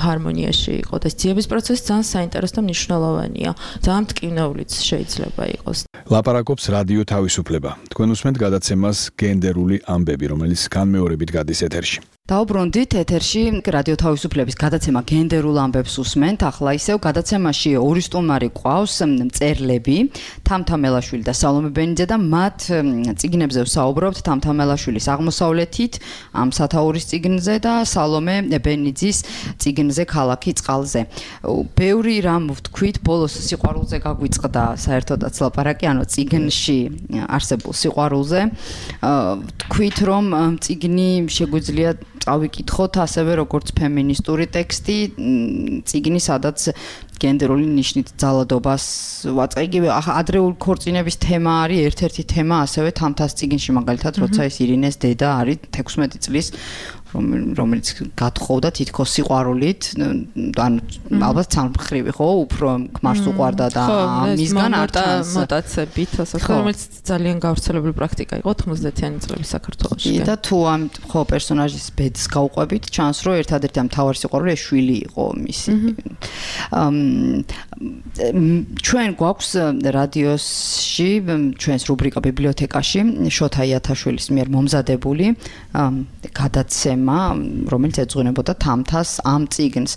ჰარმონიაში იყო და ძიების პროცესი ძალიან საინტერესო და მნიშვნელოვანია. ძალიან მტკივნეულიც შეიძლება იყოს. ლაპარაკობს რადიო თავისუფლება. თქვენ უსმენთ გადაცემას გენდერული ამბები, რომელიც განმეორებით გადის ეთერში. დაუბრუნდით ეთერში რადიო თავისუფლების გადაცემა გენდერულ ამბებს უსმენთ. ახლა ისევ გადაცემაში ორი სტუმარი ყავს, მწერლები, თამთამელაშვილი და სალომე ბენიძე და მათ წიგნებზე ვსაუბრობთ. თამთამელაშვილის აღმოსავლეთით ამ სათაურის წიგნზე და სალომე ბენიძის წიგნზე ქალაქი წყალზე. ბევრი რამ ვთქვით, ბოლოს სიყვარულზე გაგვიწყდა საერთოდაც ლაპარაკი, ანუ წიგნში არსებულ სიყვარულზე. ვთქვით, რომ წიგნი შეგვიძლია წავიკითხოთ ასევე როგორც ფემინისტური ტექსტი, წიგნი, სადაც გენდერული ნიშნით ძალადობას ვაწყე. იგივე ადრეული ქორწინების თემა არის ერთ-ერთი თემა ასევე თამთას წიგნში მაგალითად როცა ის ირინეს დედა არის თექვსმეტი წლის რომელიც გათხოვდა თითქოს სიყვარულით, ანუ ალბათ სამხრივი ხო, უფრო ქმარს უყვარდა და მისგან არჩანს მოტაცებით, ასე რომელიც ძალიან გავრცელებული პრაქტიკა იყო თხმოცდაათიანი წლების საქართველოში. და თუ ამ ხო პერსონაჟის ბედს გავყვებით, ჩანს რომ ერთადერთი ამ მთავარი სიყვარული შვილი იყო მისი. ჩვენ გვაქვს რადიოში, ჩვენს რუბრიკა ბიბლიოთეკაში შოთა იათაშვილის მიერ მომზადებული გადაცემა, რომელიც ეძღვნებოდა თამთას ამ წიგნს.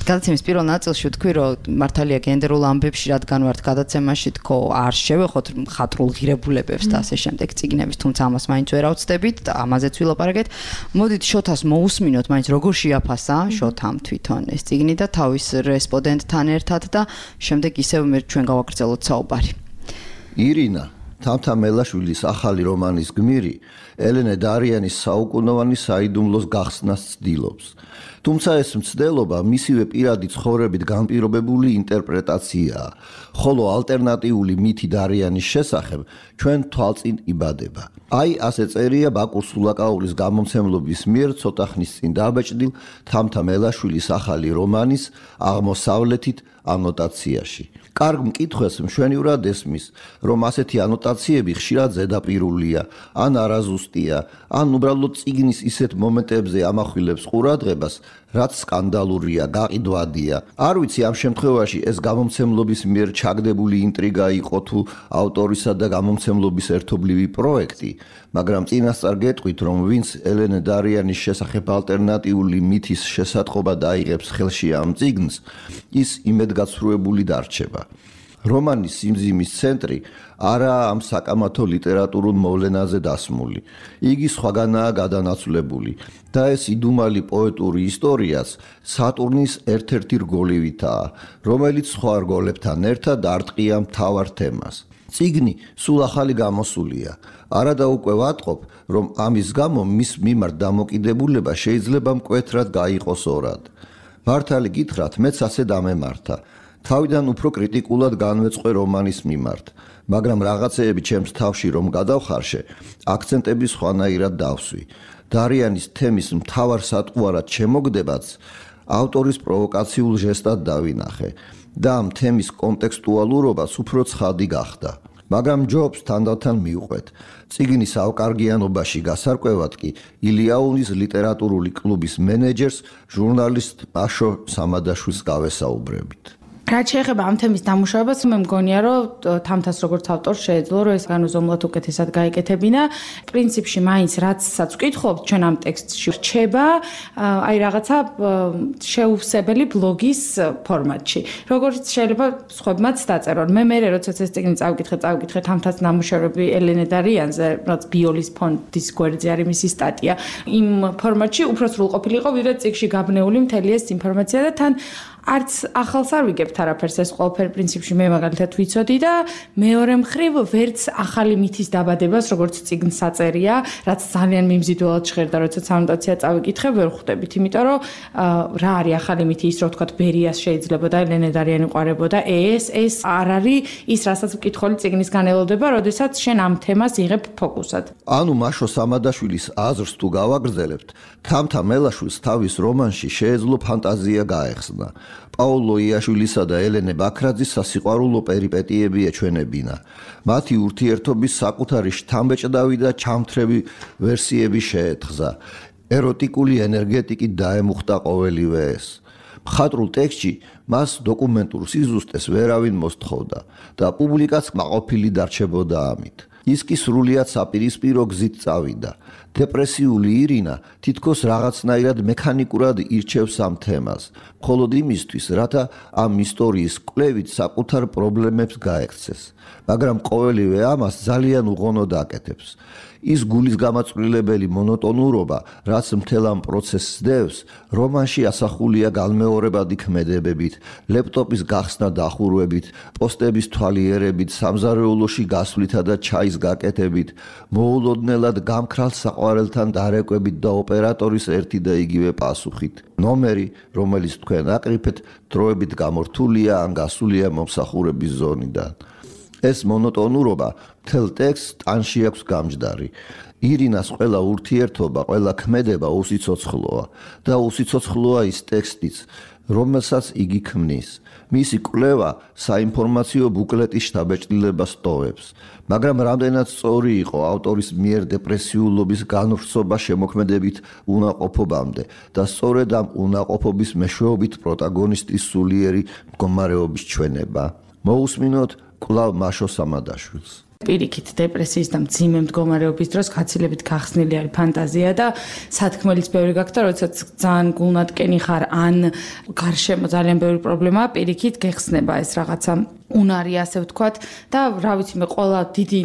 გადაცემის პირველ ნაწილში ვთქვი, რომ მართალია გენდერულ ამბებში რადგან ვართ გადაცემაში თქო არ შევეხოთ მხატვრულ ღირებულებებს და ასე შემდეგ წიგნების, თუმცა ამას მაინც ვერ ავწდებით და ამაზეც ვილაპარაკეთ. მოდით შოთას მოусმინოთ, მაინც როგორ შეაფასა შოთამ თვითონ ეს წიგნი და თავის რესპონდენტთან ერთად და შემდეგ ისევ მე ჩვენ გავაგრძელოთ საუბარი. ირინა თამთა მელაშვილის ახალი რომანის გმირი ელენე დარიანის საუკუნოვანი საიდუმლოს გახსნას ცდილობს. თუმცა ეს მცდელობა მისივე პირადი ცხოვრებით განპირობებული ინტერპრეტაციაა, ხოლო ალტერნატიული მითი დარიანის შესახებ ჩვენ თვალწინ იბადება. აი ასე წერია ბაკურ სულაკაურის გამომცემლობის მიერ ცოტა ხნის წინ დაბეჭდილ თამთა მელაშვილის ახალი რომანის აღმოსავლეთით ანოტაციაში. კარგ მკითხვას მშვენივრად ესმის, რომ ასეთი ანოტაციები ხშირად ზედაპირულია, ან არაზუსტია, ან უბრალოდ წიგნის ისეთ მომენტებზე ამახვილებს ყურადღებას, რაც სკანდალურია, გაყიდვადია. არ ვიცი ამ შემთხვევაში ეს გამომცემლობის მიერ ჩაგდებული ინტრიგა იყო თუ ავტორისა და გამომცემლობის ერთობლივი პროექტი, მაგრამ წინასწარ გეტყვით, რომ ვინც ელენე დარიანის შესახებ ალტერნატიული მითის შესატყობა დაიღებს ხელში ამ წიგნს, ის იმედგაცრუებული დარჩება. რომანის სიმძიმის ცენტრი არაა ამ საკამათო ლიტერატურულ მოვლენაზე დასმული. იგი სხვაგანაა გადანაცვლებული და ეს იდუმალი პოეტური ისტორიაც სატურნის ერთ-ერთი რგოლივითაა, რომელიც სხვა რგოლებთან ერთად არტყია მთავარ თემას. წიგნი სულ ახალი გამოსულია. არადა უკვე ვატყობ, რომ ამის გამო მის მიმართ დამოკიდებულება შეიძლება მკვეთრად გაიყოს ორად. მართალი გითხრათ, მეც ასე დამემართა. თავიდან უფრო კრიტიკულად განვეწყვე რომანის მიმართ, მაგრამ რაღაცეები ჩემს თავში რომ გადავხარშე, აქცენტები სხვანაირად დავსვი. დარიანის თემის მთავარ სატყუარად შემოგდებაც ავტორის პროვოკაციულ ჟესტად დავინახე და ამ თემის კონტექსტუალურობას უფრო ცხადი გახდა. მაგრამ ჯობს თანდათან მიუყვეთ. წიგნის ავკარგიანობაში გასარკვევად კი ილიაუნის ლიტერატურული კლუბის მენეჯერს ჟურნალისტ პაშო სამადაშვილს გავესაუბრებით. რაც შეეხება ამ თემის დამუშავებას, მე მგონია, რომ თამთას როგორც ავტორს შეეძლო, რომ ეს განუზომლად უკეთესად გაეკეთებინა. პრინციპში მაინც რაცაც ვკითხობთ, ჩვენ ამ ტექსტში რჩება, აი რაღაცა შეუვსებელი ბლოგის ფორმატში. როგორც შეიძლება სხვებმაც დაწერონ. მე მერე როდესაც ეს წიგნი წავკითხე, წავკითხე თამთას ნამუშევრები ელენე დარიანზე, რაც ბიოლის ფონდის გვერდზე არის მისი სტატია. იმ ფორმატში უფრო სრულყოფილი იყო, ვიდრე წიგნში გაბნეული მთელი ეს ინფორმაცია და თან არც ახალს არ ვიგებთ არაფერს, ეს ყველაფერი პრინციპში მე მაგალითად ვიცოდი და მეორე მხრივ ვერც ახალი მითის დაბადებას, როგორც წიგნს აწერია, რაც ძალიან მიმზიდველად ჟღერდა, როდესაც ანოტაცია წავიკითხე, ვერ ხვდებით, იმიტომ რომ რა არის ახალი მითი, ის რო ვთქვათ, ბერიას შეიძლებოდა, ელენე დარიანი ყარებოდა, ეს ეს არ არის ის, რასაც მკითხული წიგნისგან ელოდება, როდესაც შენ ამ თემას იღებ ფოკუსად. ანუ მაშო სამადაშვილის აზრს თუ გავაგრძელებთ, თამთა მელაშვილს თავის რომანში შეეძლო ფანტაზია გაეხსნა. პაულო იაშვილისა და ელენე ბაქრაძის სასიყვარულო პერიპეტიები ეჩვენებინა. მათი ურთიერთობის საკუთარი შთამბეჭდავი და ჩამთრევი ვერსიები შეეთხზა. ეროტიკული ენერგეტიკით დაემუხტა ყოველივე ეს. მხატვრულ ტექსტში მას დოკუმენტურ სიზუსტეს ვერავინ მოსთხოვდა და პუბლიკაც კმაყოფილი დარჩებოდა ამით. ის კი სრულიად საპირისპირო გზით წავიდა. დეპრესიული ირინა თითქოს რაღაცნაირად მექანიკურად ირჩევს ამ თემას, მხოლოდ იმისთვის, რათა ამ ისტორიის კვლევით საკუთარ პრობლემებს გაექცეს. მაგრამ ყოველივე ამას ძალიან უღონოდ აკეთებს. ის გულის გამაწვრილებელი მონოტონურობა, რაც მთელ ამ პროცესს დევს, რომანში ასახულია განმეორებადი ქმედებებით, ლეპტოპის გახსნა დახურვებით, პოსტების თვალიერებით, სამზარეულოში გასვლითა და ჩაის გაკეთებით, მოულოდნელად გამქრალ საყვარელთან დარეკვებით და ოპერატორის ერთი და იგივე პასუხით. ნომერი, რომელიც თქვენ აკრიფეთ, დროებით გამორთულია ან გასულია მომსახურების ზონიდან. ეს მონოტონურობა მთელ ტექსტს ტანში აქვს გამჯდარი. ირინას ყველა ურთიერთობა, ყველა ქმედება უსიცოცხლოა და უსიცოცხლოა ის ტექსტიც, რომელსაც იგი ქმნის. მისი კვლევა საინფორმაციო ბუკლეტის შთაბეჭდილებას ტოვებს, მაგრამ რამდენად სწორი იყო ავტორის მიერ დეპრესიულობის განვრცობა შემოქმედებით უნაყოფობამდე და სწორედ ამ უნაყოფობის მეშვეობით პროტაგონისტის სულიერი მდგომარეობის ჩვენება. მოусმინოთ კვლავ მაშო სამადაშვილს. პირიქით დეპრესიის და მძიმე მდგომარეობის დროს გაცილებით გახსნილი არის ფანტაზია და სათქმელიც ბევრი გაქვს და როდესაც ძალიან გულნატკენი ხარ ან გარშემო ძალიან ბევრი პრობლემაა, პირიქით გეხსნება ეს რაღაცა უნარი, ასე ვთქვათ და რა ვიცი მე ყველა დიდი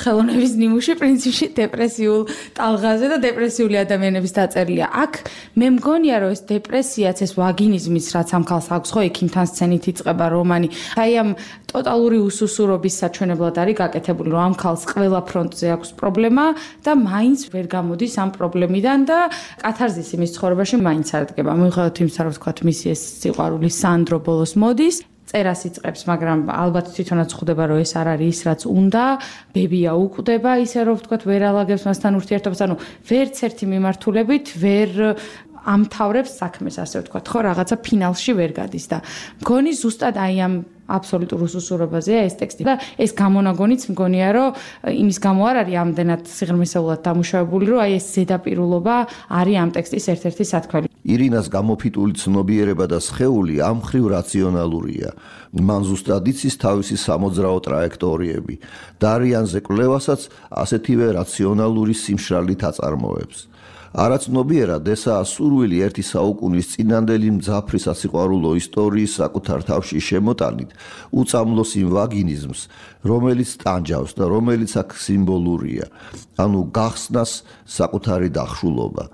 ხელოვნების ნიმუში პრინციპში დეპრესიულ ტალღაზე და დეპრესიული ადამიანების დაწერილია. აქ მე მგონია რომ ეს დეპრესიაც ეს ვაგინიზმის რაც ამ ქალს აქვს ხო ექიმთან სცენით იწყება რომანი. აი ამ ტოტალური უსუსურობის საჩვენებლად არის გაკეთებული რომ ამ ქალს ყველა ფრონტზე აქვს პრობლემა და მაინც ვერ გამოდის ამ პრობლემიდან და კათარზისი მის ცხოვრებაში მაინც არ დგება. მიუხედავად იმისა რომ ვთქვათ მისი ეს სიყვარული სანდრო ბოლოს მოდის წერას იწყებს, მაგრამ ალბათ თვითონაც ხვდება, რომ ეს არ არის ის, რაც უნდა. ბებია უკვდება, ისე რომ ვთქვათ, ვერ ალაგებს მასთან ურთიერთობას, ანუ ვერც ერთი მიმართულებით ვერ ამთავრებს საქმეს, ასე ვთქვათ, ხო, რაღაცა ფინალში ვერ გადის და მგონი ზუსტად აი ამ აბსოლუტურ უსუსურობაზეა ეს ტექსტი და ეს გამონაგონიც მგონია რომ იმის გამო არ არის ამდენად სიღრმისეულად დამუშავებული რომ აი ეს ზედაპირულობა არის ამ ტექსტის ერთ-ერთი სათქმელი. ირინას გამოფიტული ცნობიერება და სხეული ამ ხრივ რაციონალურია. მან ზუსტად იცის თავისი სამოძრაო ტრაექტორიები. დარიანზე კვლევასაც ასეთივე რაციონალური სიმშრალით აწარმოებს. არაცნობიერად ესაა სურვილი ერთი საუკუნის წინანდელი მძაფრი სასიყვარულო ისტორიის საკუთარ თავში შემოტანით უწამლოს იმ ვაგინიზმს, რომელიც ტანჯავს და რომელიც აქ სიმბოლურია, ანუ გახსნას საკუთარი დახშულობა.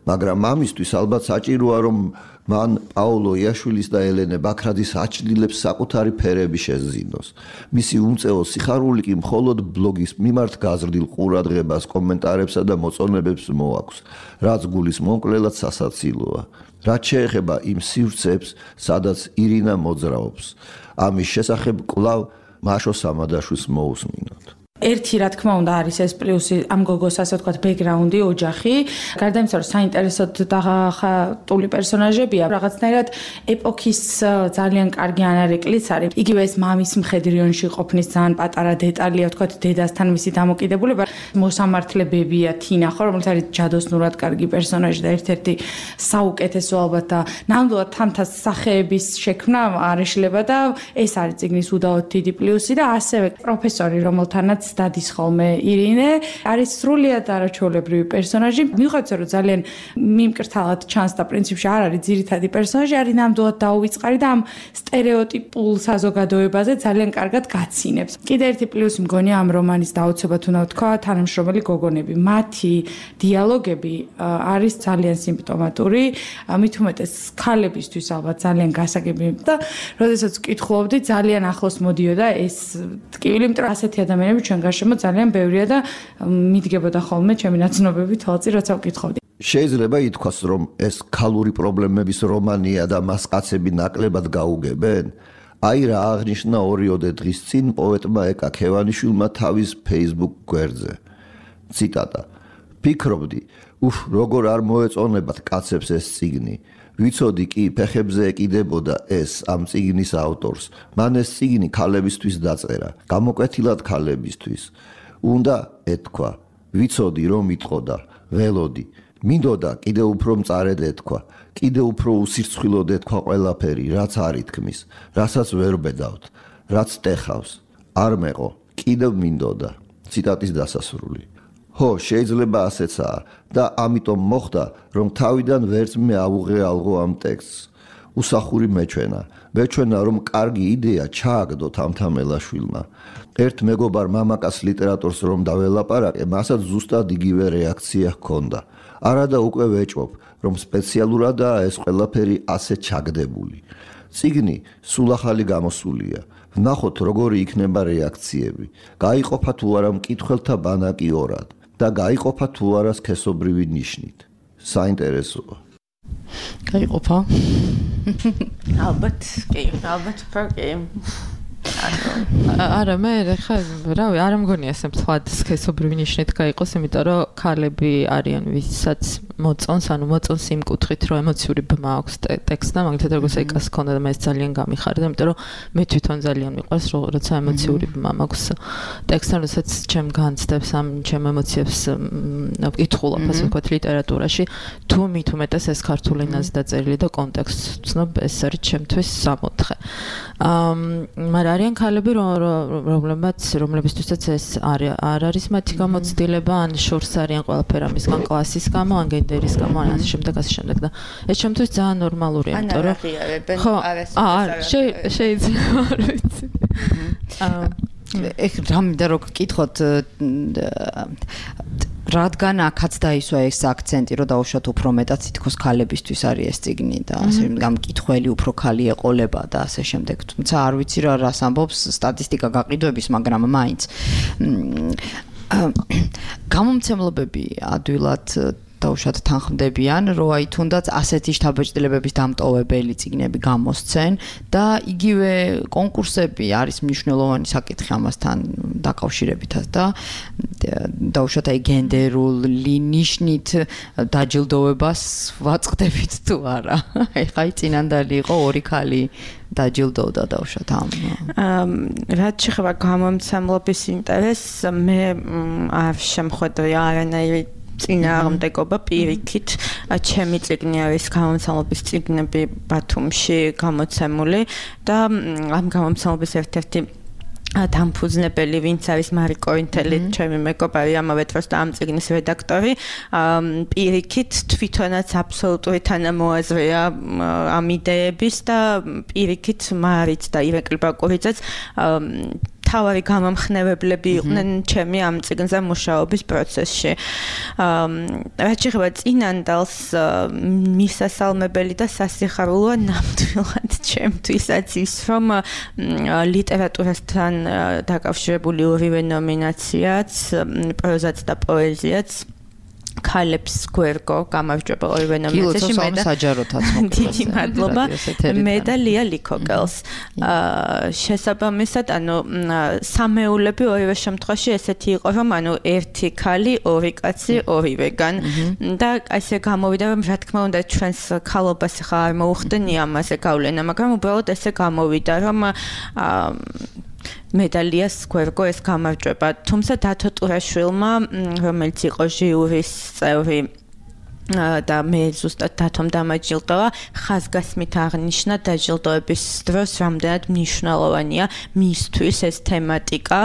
მაგრამ ამისთვის ალბათ საჭიროა რომ მან პაოლო იაშვილის და ელენე ბაქრაძის აჩრდილებს საკუთარი ფერები შეზინოს. მისი უმწეო სიხარული კი მხოლოდ ბლოგის მიმართ გაზრდილ ყურადღებას, კომენტარებსა და მოწონებებს მოაქვს, რაც გულის მომკვლელად სასაცილოა. რაც შეეხება იმ სივრცეებს, სადაც ირინა მოძრაობს, ამის შესახებ კვლავ მაშო სამადაშვილს მოусმინოთ. ერთი რა თქმა უნდა არის ეს პლუსი ამ გოგოს ასე ვთქვათ ბექგრაუნდი, ოჯახი. გარდა იმისა, რომ საინტერესოდ დახატული პერსონაჟებია, რაღაცნაირად ეპოქის ძალიან კარგი ანარეკლიც არის. იგივე ეს მამის მხედრიონში ყოფნის ძალიან პატარა დეტალია, ვთქვათ, დედასთან მისი დამოკიდებულება. მოსამართლებებია თინა ხო, რომელიც არის ჯადოსნურად კარგი პერსონაჟი და ერთ-ერთი საუკეთესო ალბათ და ნამდვილად თამთა სახეების შექმნა არ ეშლება და ეს არის წიგნის უდაოდ დიდი პლუსი და ასევე პროფესორი, რომელთანაც დადის ხოლმე ირინე, არის სრულიად არაჩვეულებრივი პერსონაჟი. მიუხედავად რომ ძალიან მიმკრთალად ჩანს და პრინციპში არ არის ძირითადი პერსონაჟი, არის ნამდვილად დაუვიწყარი და ამ სტერეოტიპულ საზოგადოებაზე ძალიან კარგად გაცინებს. კიდე ერთი პლუსი მგონია ამ რომანის დაუცებად უნდა ვთქვა, თანამშრომელი გოგონები. მათი დიალოგები არის ძალიან სიმპტომატური, მით უმეტეს ქალებისთვის ალბათ ძალიან გასაგები და როდესაც ვკითხულობდი, ძალიან ახლოს მოდიოდა ეს ტკივილი, იმიტომ რომ ასეთი ადამიანები ჩვენ გარშემო ძალიან ბევრია და მიდგებოდა ხოლმე ჩემი ნაცნობები თვალწინ როცა ვკითხავდი. შეიძლება ითქვას, რომ ეს ქალური პრობლემების რომანია და მას კაცები ნაკლებად გაუგებენ? აი რა აღნიშნა ორიოდე დღის წინ პოეტმა ეკა ქევანიშვილმა თავის Facebook გვერდზე. ციტატა: "ფიქრობდი, უფ, როგორ არ მოეწონებათ კაცებს ეს წიგნი. ვიცოდი კი ფეხებზე ეკიდებოდა ეს ამ წიგნის ავტორს. მან ეს წიგნი ქალებისთვის დაწერა, გამოკვეთილად ქალებისთვის. უნდა ეთქვა, ვიცოდი რომ იტყოდა, ველოდი. მინდოდა კიდე უფრო მწარედ ეთქვა, კიდე უფრო უსირცხვილოდ ეთქვა ყველაფერი, რაც არ ითქმის, რასაც ვერ ბედავთ, რაც ტეხავს. არ მეყო, კიდევ მინდოდა." ციტატის დასასრული. ხო, შეიძლება ასეცაა და ამიტომ მოხდა, რომ თავიდან ვერც მე ავუღე ალღო ამ ტექსტს. უსახური მეჩვენა. მეჩვენა რომ კარგი იდეა ჩააგდოთ ამთამელაშვილმა. ერთ მეგობარ მამაკაც ლიტერატურს რომ დაველაპარაკე, მასაც ზუსტად იგივე რეაქცია ჰქონდა. არადა უკვე ვეჭვობ, რომ სპეციალურადაა ეს ყველაფერი ასე ჩაგდებული. წიგნი სულ ახალი გამოსულია. ვნახოთ როგორი იქნება რეაქციები. გაიყოფა თუ არა მკითხველთა ბანაკი ორად და გაიყოფა თუ არა სქესობრივი ნიშნით. საინტერესოა. გაიყოფა? ალბათ, კი, ალბათ კი. არა მე ხა რავი არ მგონია ეს მსხვად სქესობრივი ნიშნით გაიყოს, იმიტომ რომ ქალები არიან ვისაც მოწონს, ანუ მოწონს იმ კუთხით, რომ ემოციური ბმა აქვს ტექსტმა, მაგალითად როგორც ეკას ქონდა და მე ეს ძალიან გამიხარდა, იმიტომ რომ მე თვითონ ძალიან მიყვარს, როცა ემოციური ბმა მაქვს ტექსტთან, როდესაც ჩემ განცდებს ამ ჩემ ემოციებს ვკითხულობ, ასე ვთქვათ, ლიტერატურაში, თუ მით უმეტეს ეს ქართულ ენაზე დაწერილი და კონტექსტს ვცნობ, ეს არის ჩემთვის სამოთხე. აა მაგრამ არიან ქალები, რომლებიც რომლებისთვისაც ეს არ არის მათი გამოცდილება, ან შორს არიან ყველაფერი ამისგან კლასის გამო, ან გენდერის გამო, ან ასე შემდეგ, ასე შემდეგ და ეს ჩემთვის ძალიან ნორმალურია, იმიტომ რომ ხო, აა შეიძლება არ ვიცი. აა ეხ რამე რო გკითხოთ რადგან აქაც დაისვა ეს აქცენტი, რომ დაუშვათ უფრო მეტად თითქოს ქალებისთვის არის ეს წიგნი და ასე გამკითხველი უფრო ქალი ეყოლება და ასე შემდეგ. თუმცა არ ვიცი რა რას ამბობს სტატისტიკა გაყიდვების, მაგრამ მაინც გამომცემლობები ადვილად დაუშვათ თანხმდებიან, რომ აი თუნდაც ასეთი შთაბეჭდილებების დამტოვებელი წიგნები გამოსცენ და იგივე კონკურსები არის მნიშვნელოვანი საკითხი ამასთან დაკავშირებითაც და დაუშვათ აი გენდერული ნიშნით დაჯილდოვებას ვაწყდებით თუ არა. ეხლა აი წინანდალი იყო ორი ქალი დაჯილდოვდა დაუშვათ ამ. რაც შეეხება გამომცემლობის ინტერესს, მე არ შემხვედრი არანაირი წინააღმდეგობა პირიქით. ჩემი წიგნი არის გამომცემლობის წიგნები ბათუმში გამოცემული და ამ გამომცემლობის ერთ-ერთი დამფუძნებელი ვინც არის მარი კოინთელი, ჩემი მეგობარი, ამავე დროს და ამ წიგნის რედაქტორი, პირიქით თვითონაც აბსოლუტური თანამოაზრეა ამ იდეების და პირიქით მარიც და ირაკლი ბაკურიძეც თავარი გამამხნევებლები იყვნენ ჩემი ამ წიგნზე მუშაობის პროცესში. რაც შეეხება წინანდალს, მისასალმებელი და სასიხარულოა ნამდვილად ჩემთვისაც ის, რომ ლიტერატურასთან დაკავშირებული ორივე ნომინაციაც, პროზაც და პოეზიაც ქალებს გვერგო გამარჯვება ორივე ნომინაციაში მე და საჯაროთაც დიდი მადლობა მე და ლია ლიქოკელს. შესაბამისად, ანუ სამეულები ორივე შემთხვევაში ესეთი იყო, რომ ანუ ერთი ქალი, ორი კაცი, ორივეგან და ასე გამოვიდა, რომ რა თქმა უნდა ჩვენს ქალობას ხა არ მოუხდენია ამაზე გავლენა, მაგრამ უბრალოდ ესე გამოვიდა, რომ მედალიას გვერგო ეს გამარჯვება. თუმცა დათო ტურაშვილმა, რომელიც იყო ჟიურის წევრი და მე ზუსტად დათომ დამაჯილდოვა, ხაზგასმით აღნიშნა დაჯილდოების დროს რამდენად მნიშვნელოვანია მისთვის ეს თემატიკა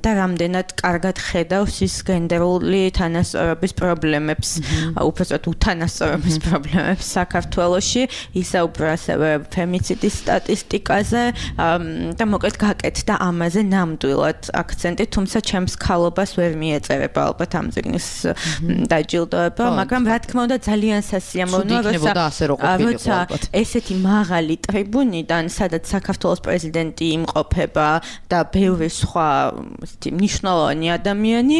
და რამდენად კარგად ხედავს ის გენდერული თანასწორობის პრობლემებს, უბრალოდ უთანასწორობის პრობლემებს საქართველოში, ისაუბრა ასევე ფემიციდის სტატისტიკაზე და მოკლედ გაკეთდა ამაზე ნამდვილად აქცენტი, თუმცა ჩემს ქალობას ვერ მიეწერება ალბათ ამ წიგნის დაჯილდოება, მაგრამ რა თქმა უნდა ძალიან სასიამოვნოა, როცა ესეთი მაღალი ტრიბუნიდან, სადაც საქართველოს პრეზიდენტი იმყოფება და ბევრი სხვა მნიშვნელოვანი ადამიანი,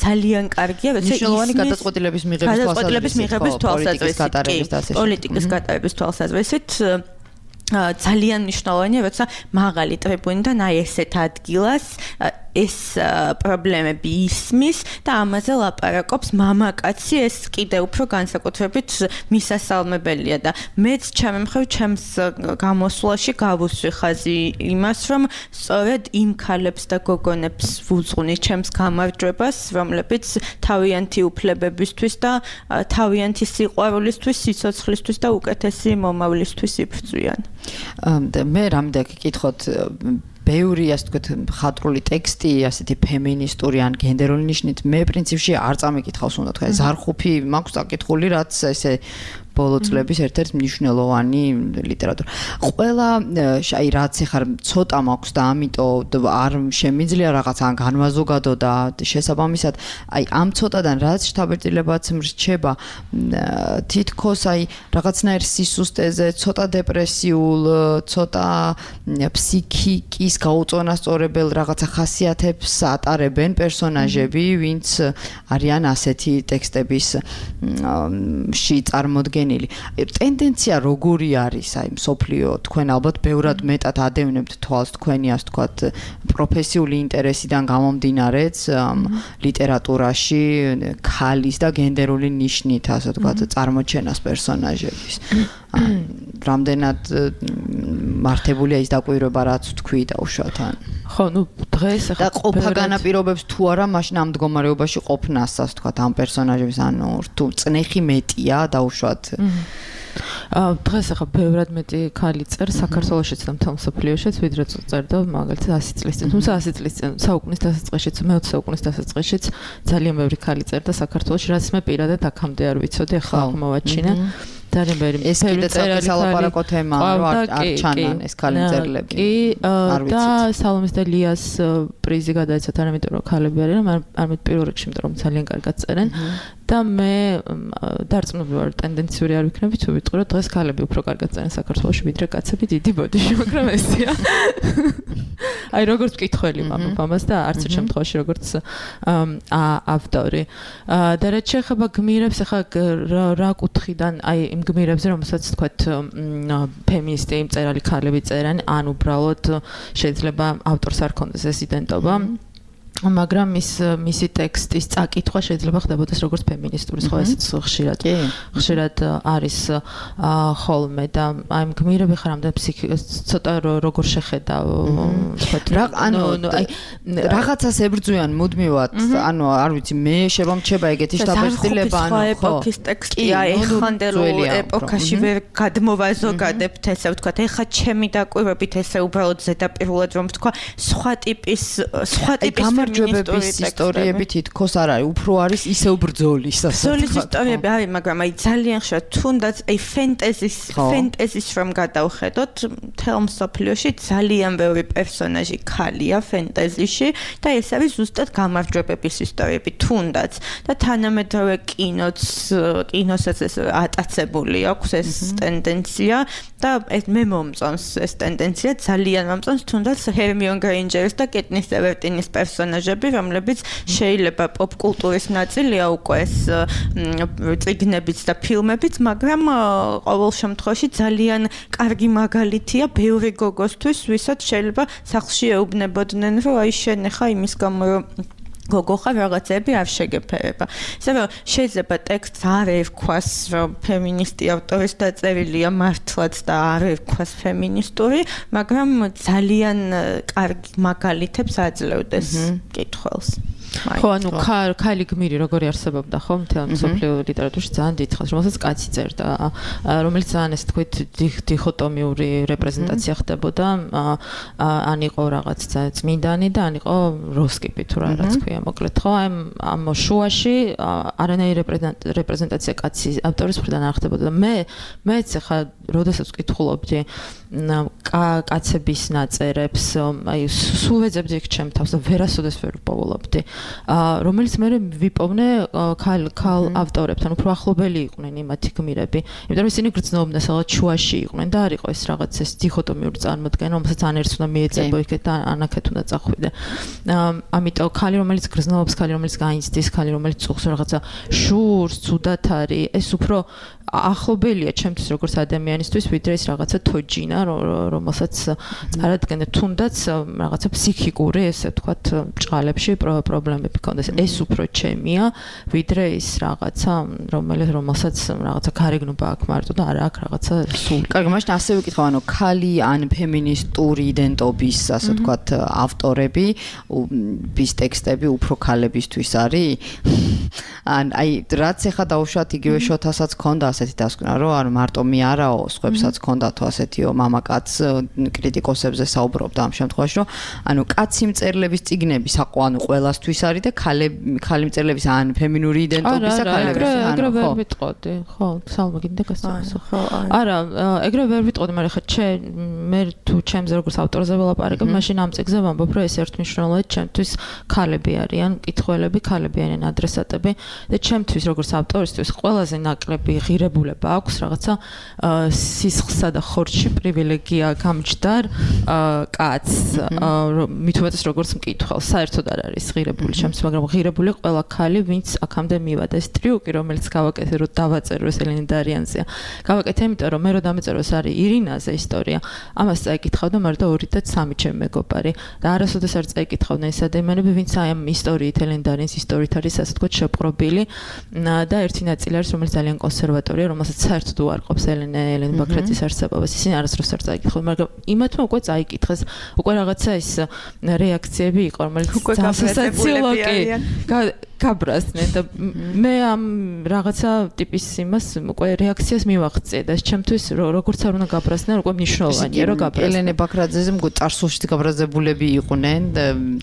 ძალიან კარგია, როცა მნიშვნელოვანი გადაწყვეტილების მიღების თვალსაზრისით, პოლიტიკის გატარების თვალსაზრისით ძალიან მნიშვნელოვანია, როცა მაღალი ტრიბუნიდან აი ესეთ ადგილას ეს პრობლემები ისმის და ამაზე ლაპარაკობს მამაკაცი, ეს კიდე უფრო განსაკუთრებით მისასალმებელია და მეც ჩემი მხრივ ჩემს გამოსვლაში გავუსვი ხაზი იმას, რომ სწორედ იმ ქალებს და გოგონებს ვუძღვნი ჩემს გამარჯვებას, რომლებიც თავიანთი უფლებებისთვის და თავიანთი სიყვარულისთვის, სიცოცხლისთვის და უკეთესი მომავლისთვის იბრძვიან. მე რამდენ გკითხოთ ბევრი ასე ვთქვათ ხატრული ტექსტი, ასეთი ფემინისტური ან გენდერული ნიშნით, მე პრინციპში არ წამიკითხავს უნდა თქვა. ზარხუფი მაქვს წაკითხული, რაც ესე ბოლო წლების ერთ-ერთი მნიშვნელოვანი ლიტერატურა. ყველა აი რაც ეხარ ცოტა მაქვს და ამიტომ არ შემიძლია რაღაც ან განვაზოგადო და შესაბამისად აი ამ ცოტადან რაც შთაბეჭდილებაც მრჩება თითქოს აი რაღაცნაირ სისუსტეზე, ცოტა დეპრესიულ, ცოტა ფსიქიკის გაუწონასწორებელ რაღაცა ხასიათებს ატარებენ პერსონაჟები, ვინც არიან ასეთი ტექსტების ში წარმოდგენილი. ტენდენცია როგორი არის აი მსოფლიო თქვენ ალბათ ბევრად მეტად ადევნებთ თვალს თქვენი ასე ვთქვათ პროფესიული ინტერესიდან გამომდინარეც ლიტერატურაში ქალის და გენდერული ნიშნით ასე ვთქვათ წარმოჩენას პერსონაჟების. რამდენად მართებულია ის დაკვირვება რაც თქვი და უშუალოდ ან ხო ნუ დღეს და ყოფა განაპირობებს თუ არა მაშინ ამ მდგომარეობაში ყოფნას ასე ვთქვათ ამ პერსონაჟების ანუ თუ წნეხი მეტია და უშუალოდ აა დღეს ახლა ბევრად მეტი ქალი წერს საქართველოშიც და მთელ მსოფლიოშიც ვიდრე წერდა მაგალითად ასი წლის წინ თუმცა ასი წლის წინ საუკუნის დასაწყისშიც მეოცე საუკუნის დასაწყისშიც ძალიან ბევრი ქალი წერდა საქართველოში რაც მე პირადად აქამდე არ ვიცოდი ახლა აღმოვაჩინე ძალიან ბევრი ეს კიდე ცალკე სალაპარაკო თემაა რომ არ ჩანან ეს ქალი მწერლები კი და სალომეს და ლიას პრიზი გადაეცათ არ ამიტომ რომ ქალები არიან არ მე პირველ რიგში იმიტომ რომ ძალიან კარგად წერენ და მე დარწმუნებული ვარ ტენდენციური არ ვიქნები თუ ვიტყვი რომ დღეს ქალები უფრო კარგად წერენ საქართველოში ვიდრე კაცები დიდი ბოდიში მაგრამ ესია აი როგორც მკითხველი მამას და არც ერთ შემთხვევაში როგორც ავტორი და რაც შეეხება გმირებს ახლა რა კუთხიდან აი იმ გმირებზე რომელსაც თქვათ ფემინისტი მწერალი ქალები წერენ ან უბრალოდ შეიძლება ავტორს არ ქონდეს ეს იდენტობა მაგრამ მის მისი ტექსტის წაკითხვა შეიძლება ხდებოდეს როგორც ფემინისტური სხვა ესეც ხშირად ხშირად არის ხოლმე და აი გმირები ხარ ამდენ ფსიქიკას ცოტა როგორ შეხედავ რა ანუ აი რაღაცას ებრძვიან მუდმივად ანუ არ ვიცი მე შემომჩება ეგეთი შთაბეჭდილება ანუ ხო ეპოქის ტექსტია ეხანდელ ეპოქაში ვერ გადმოვაზოგადებთ ესე ვთქვათ ეხა ჩემი დაკვირვებით ესე უბრალოდ ზედაპირულად რომ ვთქვა სხვა ტიპის სხვა ტიპის გამარჯვებების ისტორიები თითქოს არ არის, უფრო არის ისევ ბრძოლის ასე. ბრძოლის ისტორიები არის, მაგრამ აი ძალიან ხშირად თუნდაც აი ფენტეზის ფენტეზის რომ გადავხედოთ, მთელ მსოფლიოში ძალიან ბევრი პერსონაჟი ქალია ფენტეზიში და ეს არის ზუსტად გამარჯვებების ისტორიები თუნდაც და თანამედროვე კინოც კინოსაც ეს ატაცებული აქვს ეს ტენდენცია და ეს მე მომწონს ეს ტენდენცია ძალიან მომწონს თუნდაც ჰერმიონ გრეინჯერის და კეტნის ევერტინის პერსონაჟები რომლებიც შეიძლება პოპკულტურის ნაწილია უკვე ეს წიგნებიც და ფილმებიც მაგრამ ყოველ შემთხვევაში ძალიან კარგი მაგალითია ბევრი გოგოსთვის ვისაც შეიძლება სახლში ეუბნებოდნენ რომ აი შენ ხა იმის გამო რომ გოგო ხარ რაღაცები არ შეგეფერება. ისე რომ შეიძლება ტექსტს არ ერქვას რომ ფემინისტი ავტორის დაწერილია მართლაც და არ ერქვას ფემინისტური, მაგრამ ძალიან კარგი მაგალითებს აძლევდეს კითხველს. ხო, ანუ ქალი გმირი როგორი არსებობდა ხო მთელ მსოფლიო ლიტერატურაში ძალიან დიდხანს, რომელსაც კაცი წერდა, რომელიც ძალიან ესე თქვით დიხოტომიური რეპრეზენტაცია ხდებოდა, ან იყო რაღაც წმინდანი და ან იყო როსკიპი თუ რაღაც ქვია, მოკლედ ხო, აი ამ შუაში არანაირი რეპრეზენტაცია კაცი ავტორის მხრიდან არ ხდებოდა და მე მეც ახლა როდესაც ვკითხულობდი კაცების ნაწერებს, აი სულ ვეძებდი ჩემ თავს და ვერასოდეს ვერ ვპოულობდი. რომელიც მე ვიპოვნე ქალ ქალ ავტორებთან უფრო ახლობელი იყვნენ იმათი გმირები. იმიტომ რომ ისინი გრძნობდნენ სადღაც შუაში იყვნენ და არ იყო ეს რაღაც ეს დიხოტომიური წარმოდგენა, რომელსაც ან ერთს უნდა მიეწებო იქეთ და ანაკეთ უნდა წახვიდე. ამიტომ ქალი რომელიც გრძნობს, ქალი რომელიც გაინცდის, ქალი რომელიც წუხს რაღაცა შურს, ცუდად არის, ეს უფრო ახლობელია ჩემთვის როგორც ადამიანისთვის, ვიდრე ეს რაღაცა თოჯინა, რომელსაც წარადგენდა თუნდაც რაღაცა ფსიქიკური, ესე ვთქვათ, ჭყალებში პრობლემები ქონდეს. ეს უფრო ჩემია, ვიდრე ის რაღაცა, რომელიც რომელსაც რაღაცა გარეგნობა აქვს მარტო და არა აქვს რაღაცა სული. კარგი, მაშინ ასე ვიკითხავ, ანუ ქალი ან ფემინისტური იდენტობის, ასე ვთქვათ, ავტორები, bis ტექსტები უფრო ქალებისთვის არის? ან აი რაც ეხა დაუშვათ იგივე შოთასაც ქონდა ასეთი დასკვნა, რომ არ მარტო მე არაო, სხვებსაც ჰქონდათო ასეთიო მამაკაც კრიტიკოსებზე საუბრობდა ამ შემთხვევაში, რომ ანუ კაცი მწერლების წიგნები საყო ანუ ყველასთვის არის და ხალი მწერლების ან ფემინური იდენტობის ხალების ანუ ხო. ეგრე ვერ ვიტყოდი, ხო, სალმა გინდა გასწავლო. ხო, არა, ეგრე ვერ ვიტყოდი, მაგრამ ხა ჩემ მე თუ ჩემზე როგორც ავტორზე ველაპარაკებ, მაშინ ამ წიგნზე ვამბობ, რომ ეს ერთმნიშვნელოვნად ჩემთვის ხალები არიან, მკითხველები, ხალები არიან ადრესატები და ჩემთვის როგორც ავტორისთვის ყველაზე ნაკლები ღირებულება აქვს რაღაცა სისხლსა და ხორცში პრივილეგია გამჯდარ კაცს, მით უმეტეს როგორც მკითხველს, საერთოდ არ არის ღირებული ჩემს, მაგრამ ღირებული ყველა ხალი, ვინც აქამდე მივადა. ეს ტრიუკი, რომელიც გავაკეთე, რომ დავაწერო ეს ელენე დარიანზეა. გავაკეთე, იმიტომ რომ მე რო დამეწერო ეს არის ირინაზე ისტორია. ამას წაიკითხავდა მარდა ორი და სამი ჩემი მეგობარი და არასოდეს არ წაიკითხავდნენ ეს ადამიანები, ვინც აი ამ ისტორიით ელენე დარიანის ისტორიით არის ასე თქვა შეპყრობილი და ერთი ნაწილი არის, რომელიც ძალიან კონსერვატორია, რომელსაც საერთოდ უარყოფს ელენე ელენე ბაქრაძის არსებობას. ისინი არასდროს არ წაიკითხავდნენ, მაგრამ იმათმა უკვე წაიკითხეს. უკვე რაღაცა ის რეაქციები იყო, რომელიც სასაცილო გაბრაზდნენ და მე ამ რაღაცა ტიპის იმას უკვე რეაქციას მივაღწია და ჩემთვის როგორც არ უნდა გაბრაზდნენ, უკვე მნიშვნელოვანია რომ გაბრაზდნენ. ელენე ბაქრაძეზე მგონი წარსულშიც გაბრაზებულები იყვნენ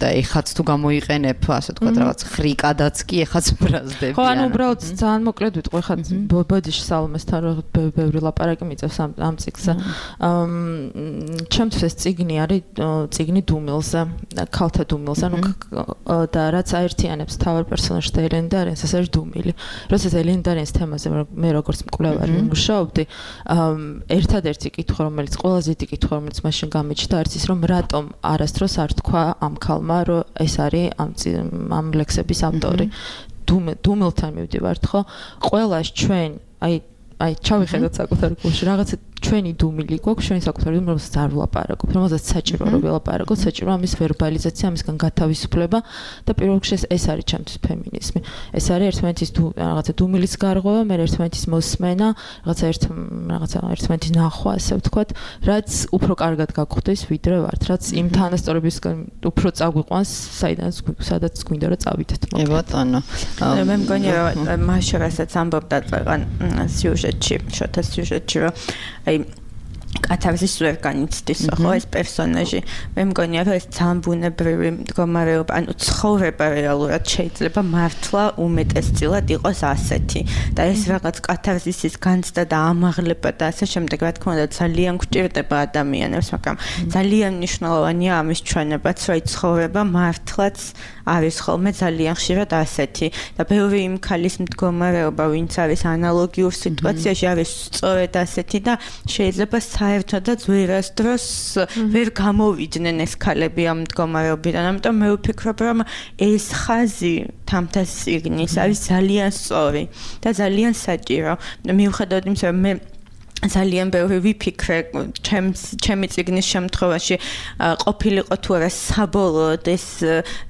და ეხაც თუ გამოიყენებ, ასე ვთქვათ, რაღაც ხრიკადაც კი ეხაც ბრაზდები. ხო, ანუ უბრალოდ ძალიან მოკლედ ვიტყვი, ხა ბოდიში სალმესთან ბევრი ლაპარაკი მიწევს ამ წიგნზე. ჩემთვის ეს წიგნი არის წიგნი დუმილზე, ქალთა დუმილზე, ანუ და რაც აერთიანებს თავარ პერსონაჟს და ელენე დარიანს, ეს არის დუმილი. როდესაც ელენე დარიანის თემაზე მე როგორც მკვლევარი მუშაობდი, ერთადერთი კითხვა, რომელიც ყველაზე დიდი კითხვა, რომელიც მაშინ გამიჩნდა, არის ის, რომ რატომ არასდროს არ თქვა ამ ქალმა, რომ ეს არის ამ ამ ლექსების ავტორი. დუმილთან მივდივართ, ხო? ყველას ჩვენ, აი აი ჩავიხედოთ საკუთარ გულში, რაღაცა ჩვენი დუმილი გვაქვს, ჩვენი საკუთარი დუმილი, რომელსაც არ ვლაპარაკობ, რომელსაც საჭირო რომ ველაპარაკოთ, საჭირო ამის ვერბალიზაცია, ამისგან გათავისუფლება და პირველ რიგში ეს არის ჩემთვის ფემინიზმი. ეს არის ერთმანეთის რაღაცა დუმილის გარღვევა, მე ერთმანეთის მოსმენა, რაღაცა ერთ რაღაცა ერთმანეთის ნახვა, ასე ვთქვათ, რაც უფრო კარგად გაგხვდეს, ვიდრე ვართ, რაც იმ თანასწორებისგან უფრო წაგვიყვანს, საიდანაც სადაც გვინდა რომ წავიდეთ. ე ბატონო. მე მგონი რომ მაშინ რასაც ამბობდა წეღან სიუჟეტში, შოთა სიუჟეტში, რომ აი კაცების ვერ განიცდის ხო ეს პერსონაჟი. მე მგონია რომ ეს ძალიან ბუნებრივი მდგომარეობა, ანუ ცხოვრება რეალურად შეიძლება მართლა უმეტესწილად იყოს ასეთი და ეს რაღაც კათარზისის განცდა და ამაღლება და ასე შემდეგ, რა თქმა უნდა, ძალიან გვჭირდება ადამიანებს, მაგრამ ძალიან მნიშვნელოვანია ამის ჩვენებაც, რომ აი ცხოვრება მართლაც არის ხოლმე ძალიან ხშირად ასეთი და ბევრი იმ ქალის მდგომარეობა, ვინც არის ანალოგიურ სიტუაციაში, არის სწორედ ასეთი და შეიძლება საერთოდაც ვერასდროს ვერ გამოვიდნენ ეს ქალები ამ მდგომარეობიდან. ამიტომ მე ვფიქრობ, რომ ეს ხაზი თამთა წიგნის არის ძალიან სწორი და ძალიან საჭირო. მიუხედავად იმისა, რომ მე ძალიან ბევრი ვიფიქრე ჩემი წიგნის შემთხვევაში ყოფილიყო თუ არა საბოლოოდ ეს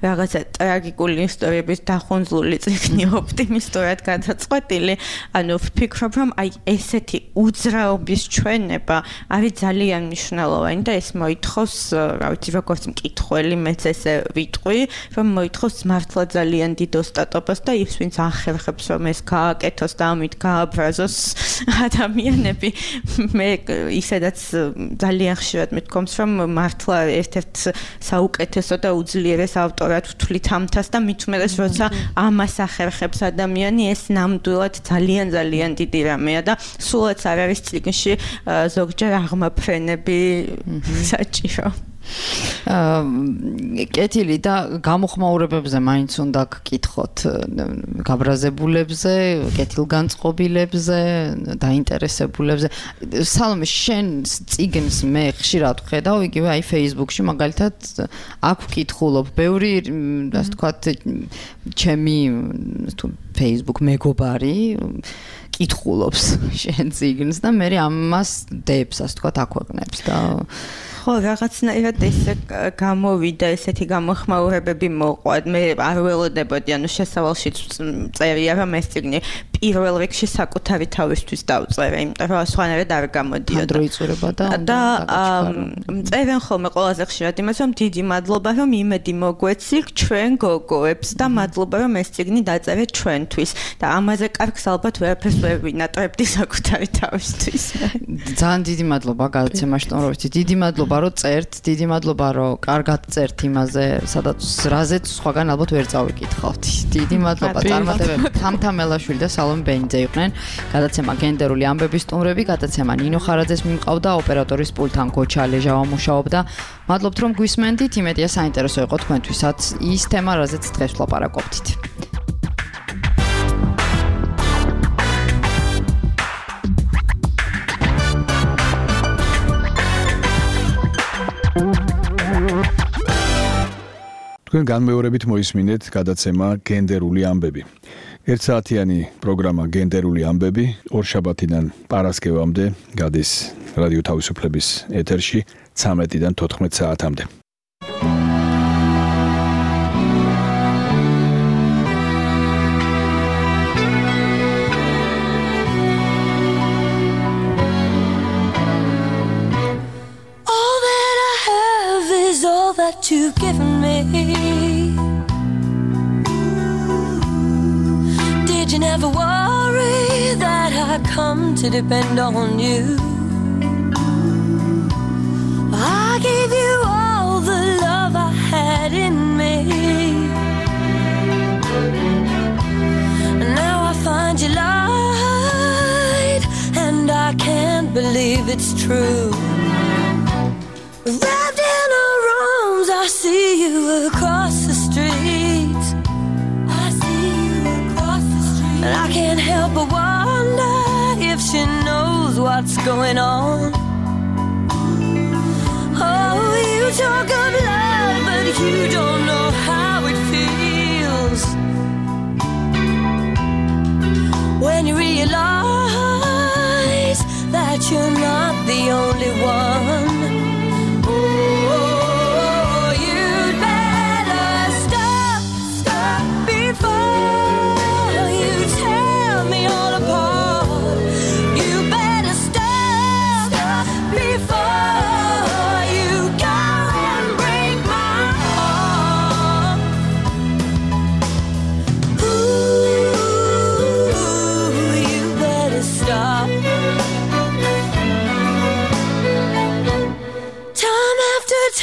რაღაცა ტრაგიკული ისტორიების დახუნძლული წიგნი ოპტიმისტურად გადაწყვეტილი. ანუ ვფიქრობ, რომ აი ესეთი უძრაობის ჩვენება არის ძალიან მნიშვნელოვანი და ეს მოითხოვს, რა ვიცი, როგორც მკითხველი, მეც ესე ვიტყვი, რომ მოითხოვს მართლა ძალიან დიდ ოსტატობას და ის ვინც ახერხებს, რომ ეს გააკეთოს და ამით გააბრაზოს ადამიანები. მე ისედაც ძალიან ხშირად მithkoms, რომ მართლა ერთ-ერთ საუკეთესო და უძლიერეს ავტორად ვთვლით ამთას და მით უმეტეს, როცა ამას ახერხებს ადამიანი, ეს ნამდვილად ძალიან ძალიან დიდი რამეა და სულაც არ არის წიგნში ზოგჯერ აღმაფრენები საჭირო. კეთილი და გამოხმაურებებზე მაინც უნდა გკითხოთ, გაბრაზებულებზე, კეთილგანწყობილებზე, დაინტერესებულებზე. სალომე, შენ წიგნს მე ხშირად ვხედავ, იგივე აი Facebook-ში მაგალითად აქ ვკითხულობ, ბევრი ასე ვთქვათ, ჩემი თუ Facebook მეგობარი კითხულობს შენ წიგნს და მე ამას დებს, ასე ვთქვათ, აქვეყნებს და ხო, რაღაცნაირად ესე გამოვიდა, ესეთი გამოხმაურებები მოყვა. მე არ ველოდებოდი, ანუ შესავალშიც წერია, რომ ეს წიგნი პირველ რიგში საკუთარი თავისთვის დავწერე, იმიტომ რომ სხვანაირად არ გამოდიოდა. დროიწურება და და წერენ ხოლმე ყველაზე ხშირად იმას, რომ დიდი მადლობა, რომ იმედი მოგვეცილ ჩვენ გოგოებს და მადლობა, რომ ეს წიგნი დაწერეთ ჩვენთვის და ამაზე კარგს ალბათ ვერაფერს ვერ ვინატრებდი საკუთარი თავისთვის. ძალიან დიდი მადლობა გადაცემაში სტუმრობისთვის. დიდი მადლობა, რომ წერთ, დიდი მადლობა, რომ კარგად წერთ იმაზე, სადაც რაზეც სხვაგან ალბათ ვერ წავიკითხავთ. დიდი მადლობა წარმატებები. თამთა მელაშვილი და სალომე ბენიძე იყვნენ. გადაცემა გენდერული ამბების სტუმრები, გადაცემა ნინო ხარაძეს მიმყავდა, ოპერატორის პულთან გოჩა ლეჟავა მუშაობდა. მადლობთ რომ გვისმენდით, იმედია საინტერესო იყო თქვენთვისაც ის თემა, რაზეც დღეს ვლაპარაკობდით. თქვენ განმეორებით მოისმინეთ გადაცემა გენდერული ამბები. ერთსაათიანი პროგრამა გენდერული ამბები ორშაბათიდან პარასკევამდე გადის რადიო თავისუფლების ეთერში ცამეტიდან თოთხმეტ საათამდე. That you've given me. Did you never worry that I come to depend on you? I gave you all the love I had in me. Now I find you lied, and I can't believe it's true. Wrapped in arms, I see you across the street. I see you across the street. And I can't help but wonder if she knows what's going on. Oh, you talk of love, but you don't know how it feels. When you realize that you're not the only one.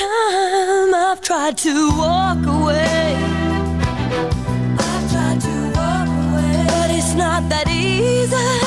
Time I've tried to walk away. I've tried to walk away, but it's not that easy.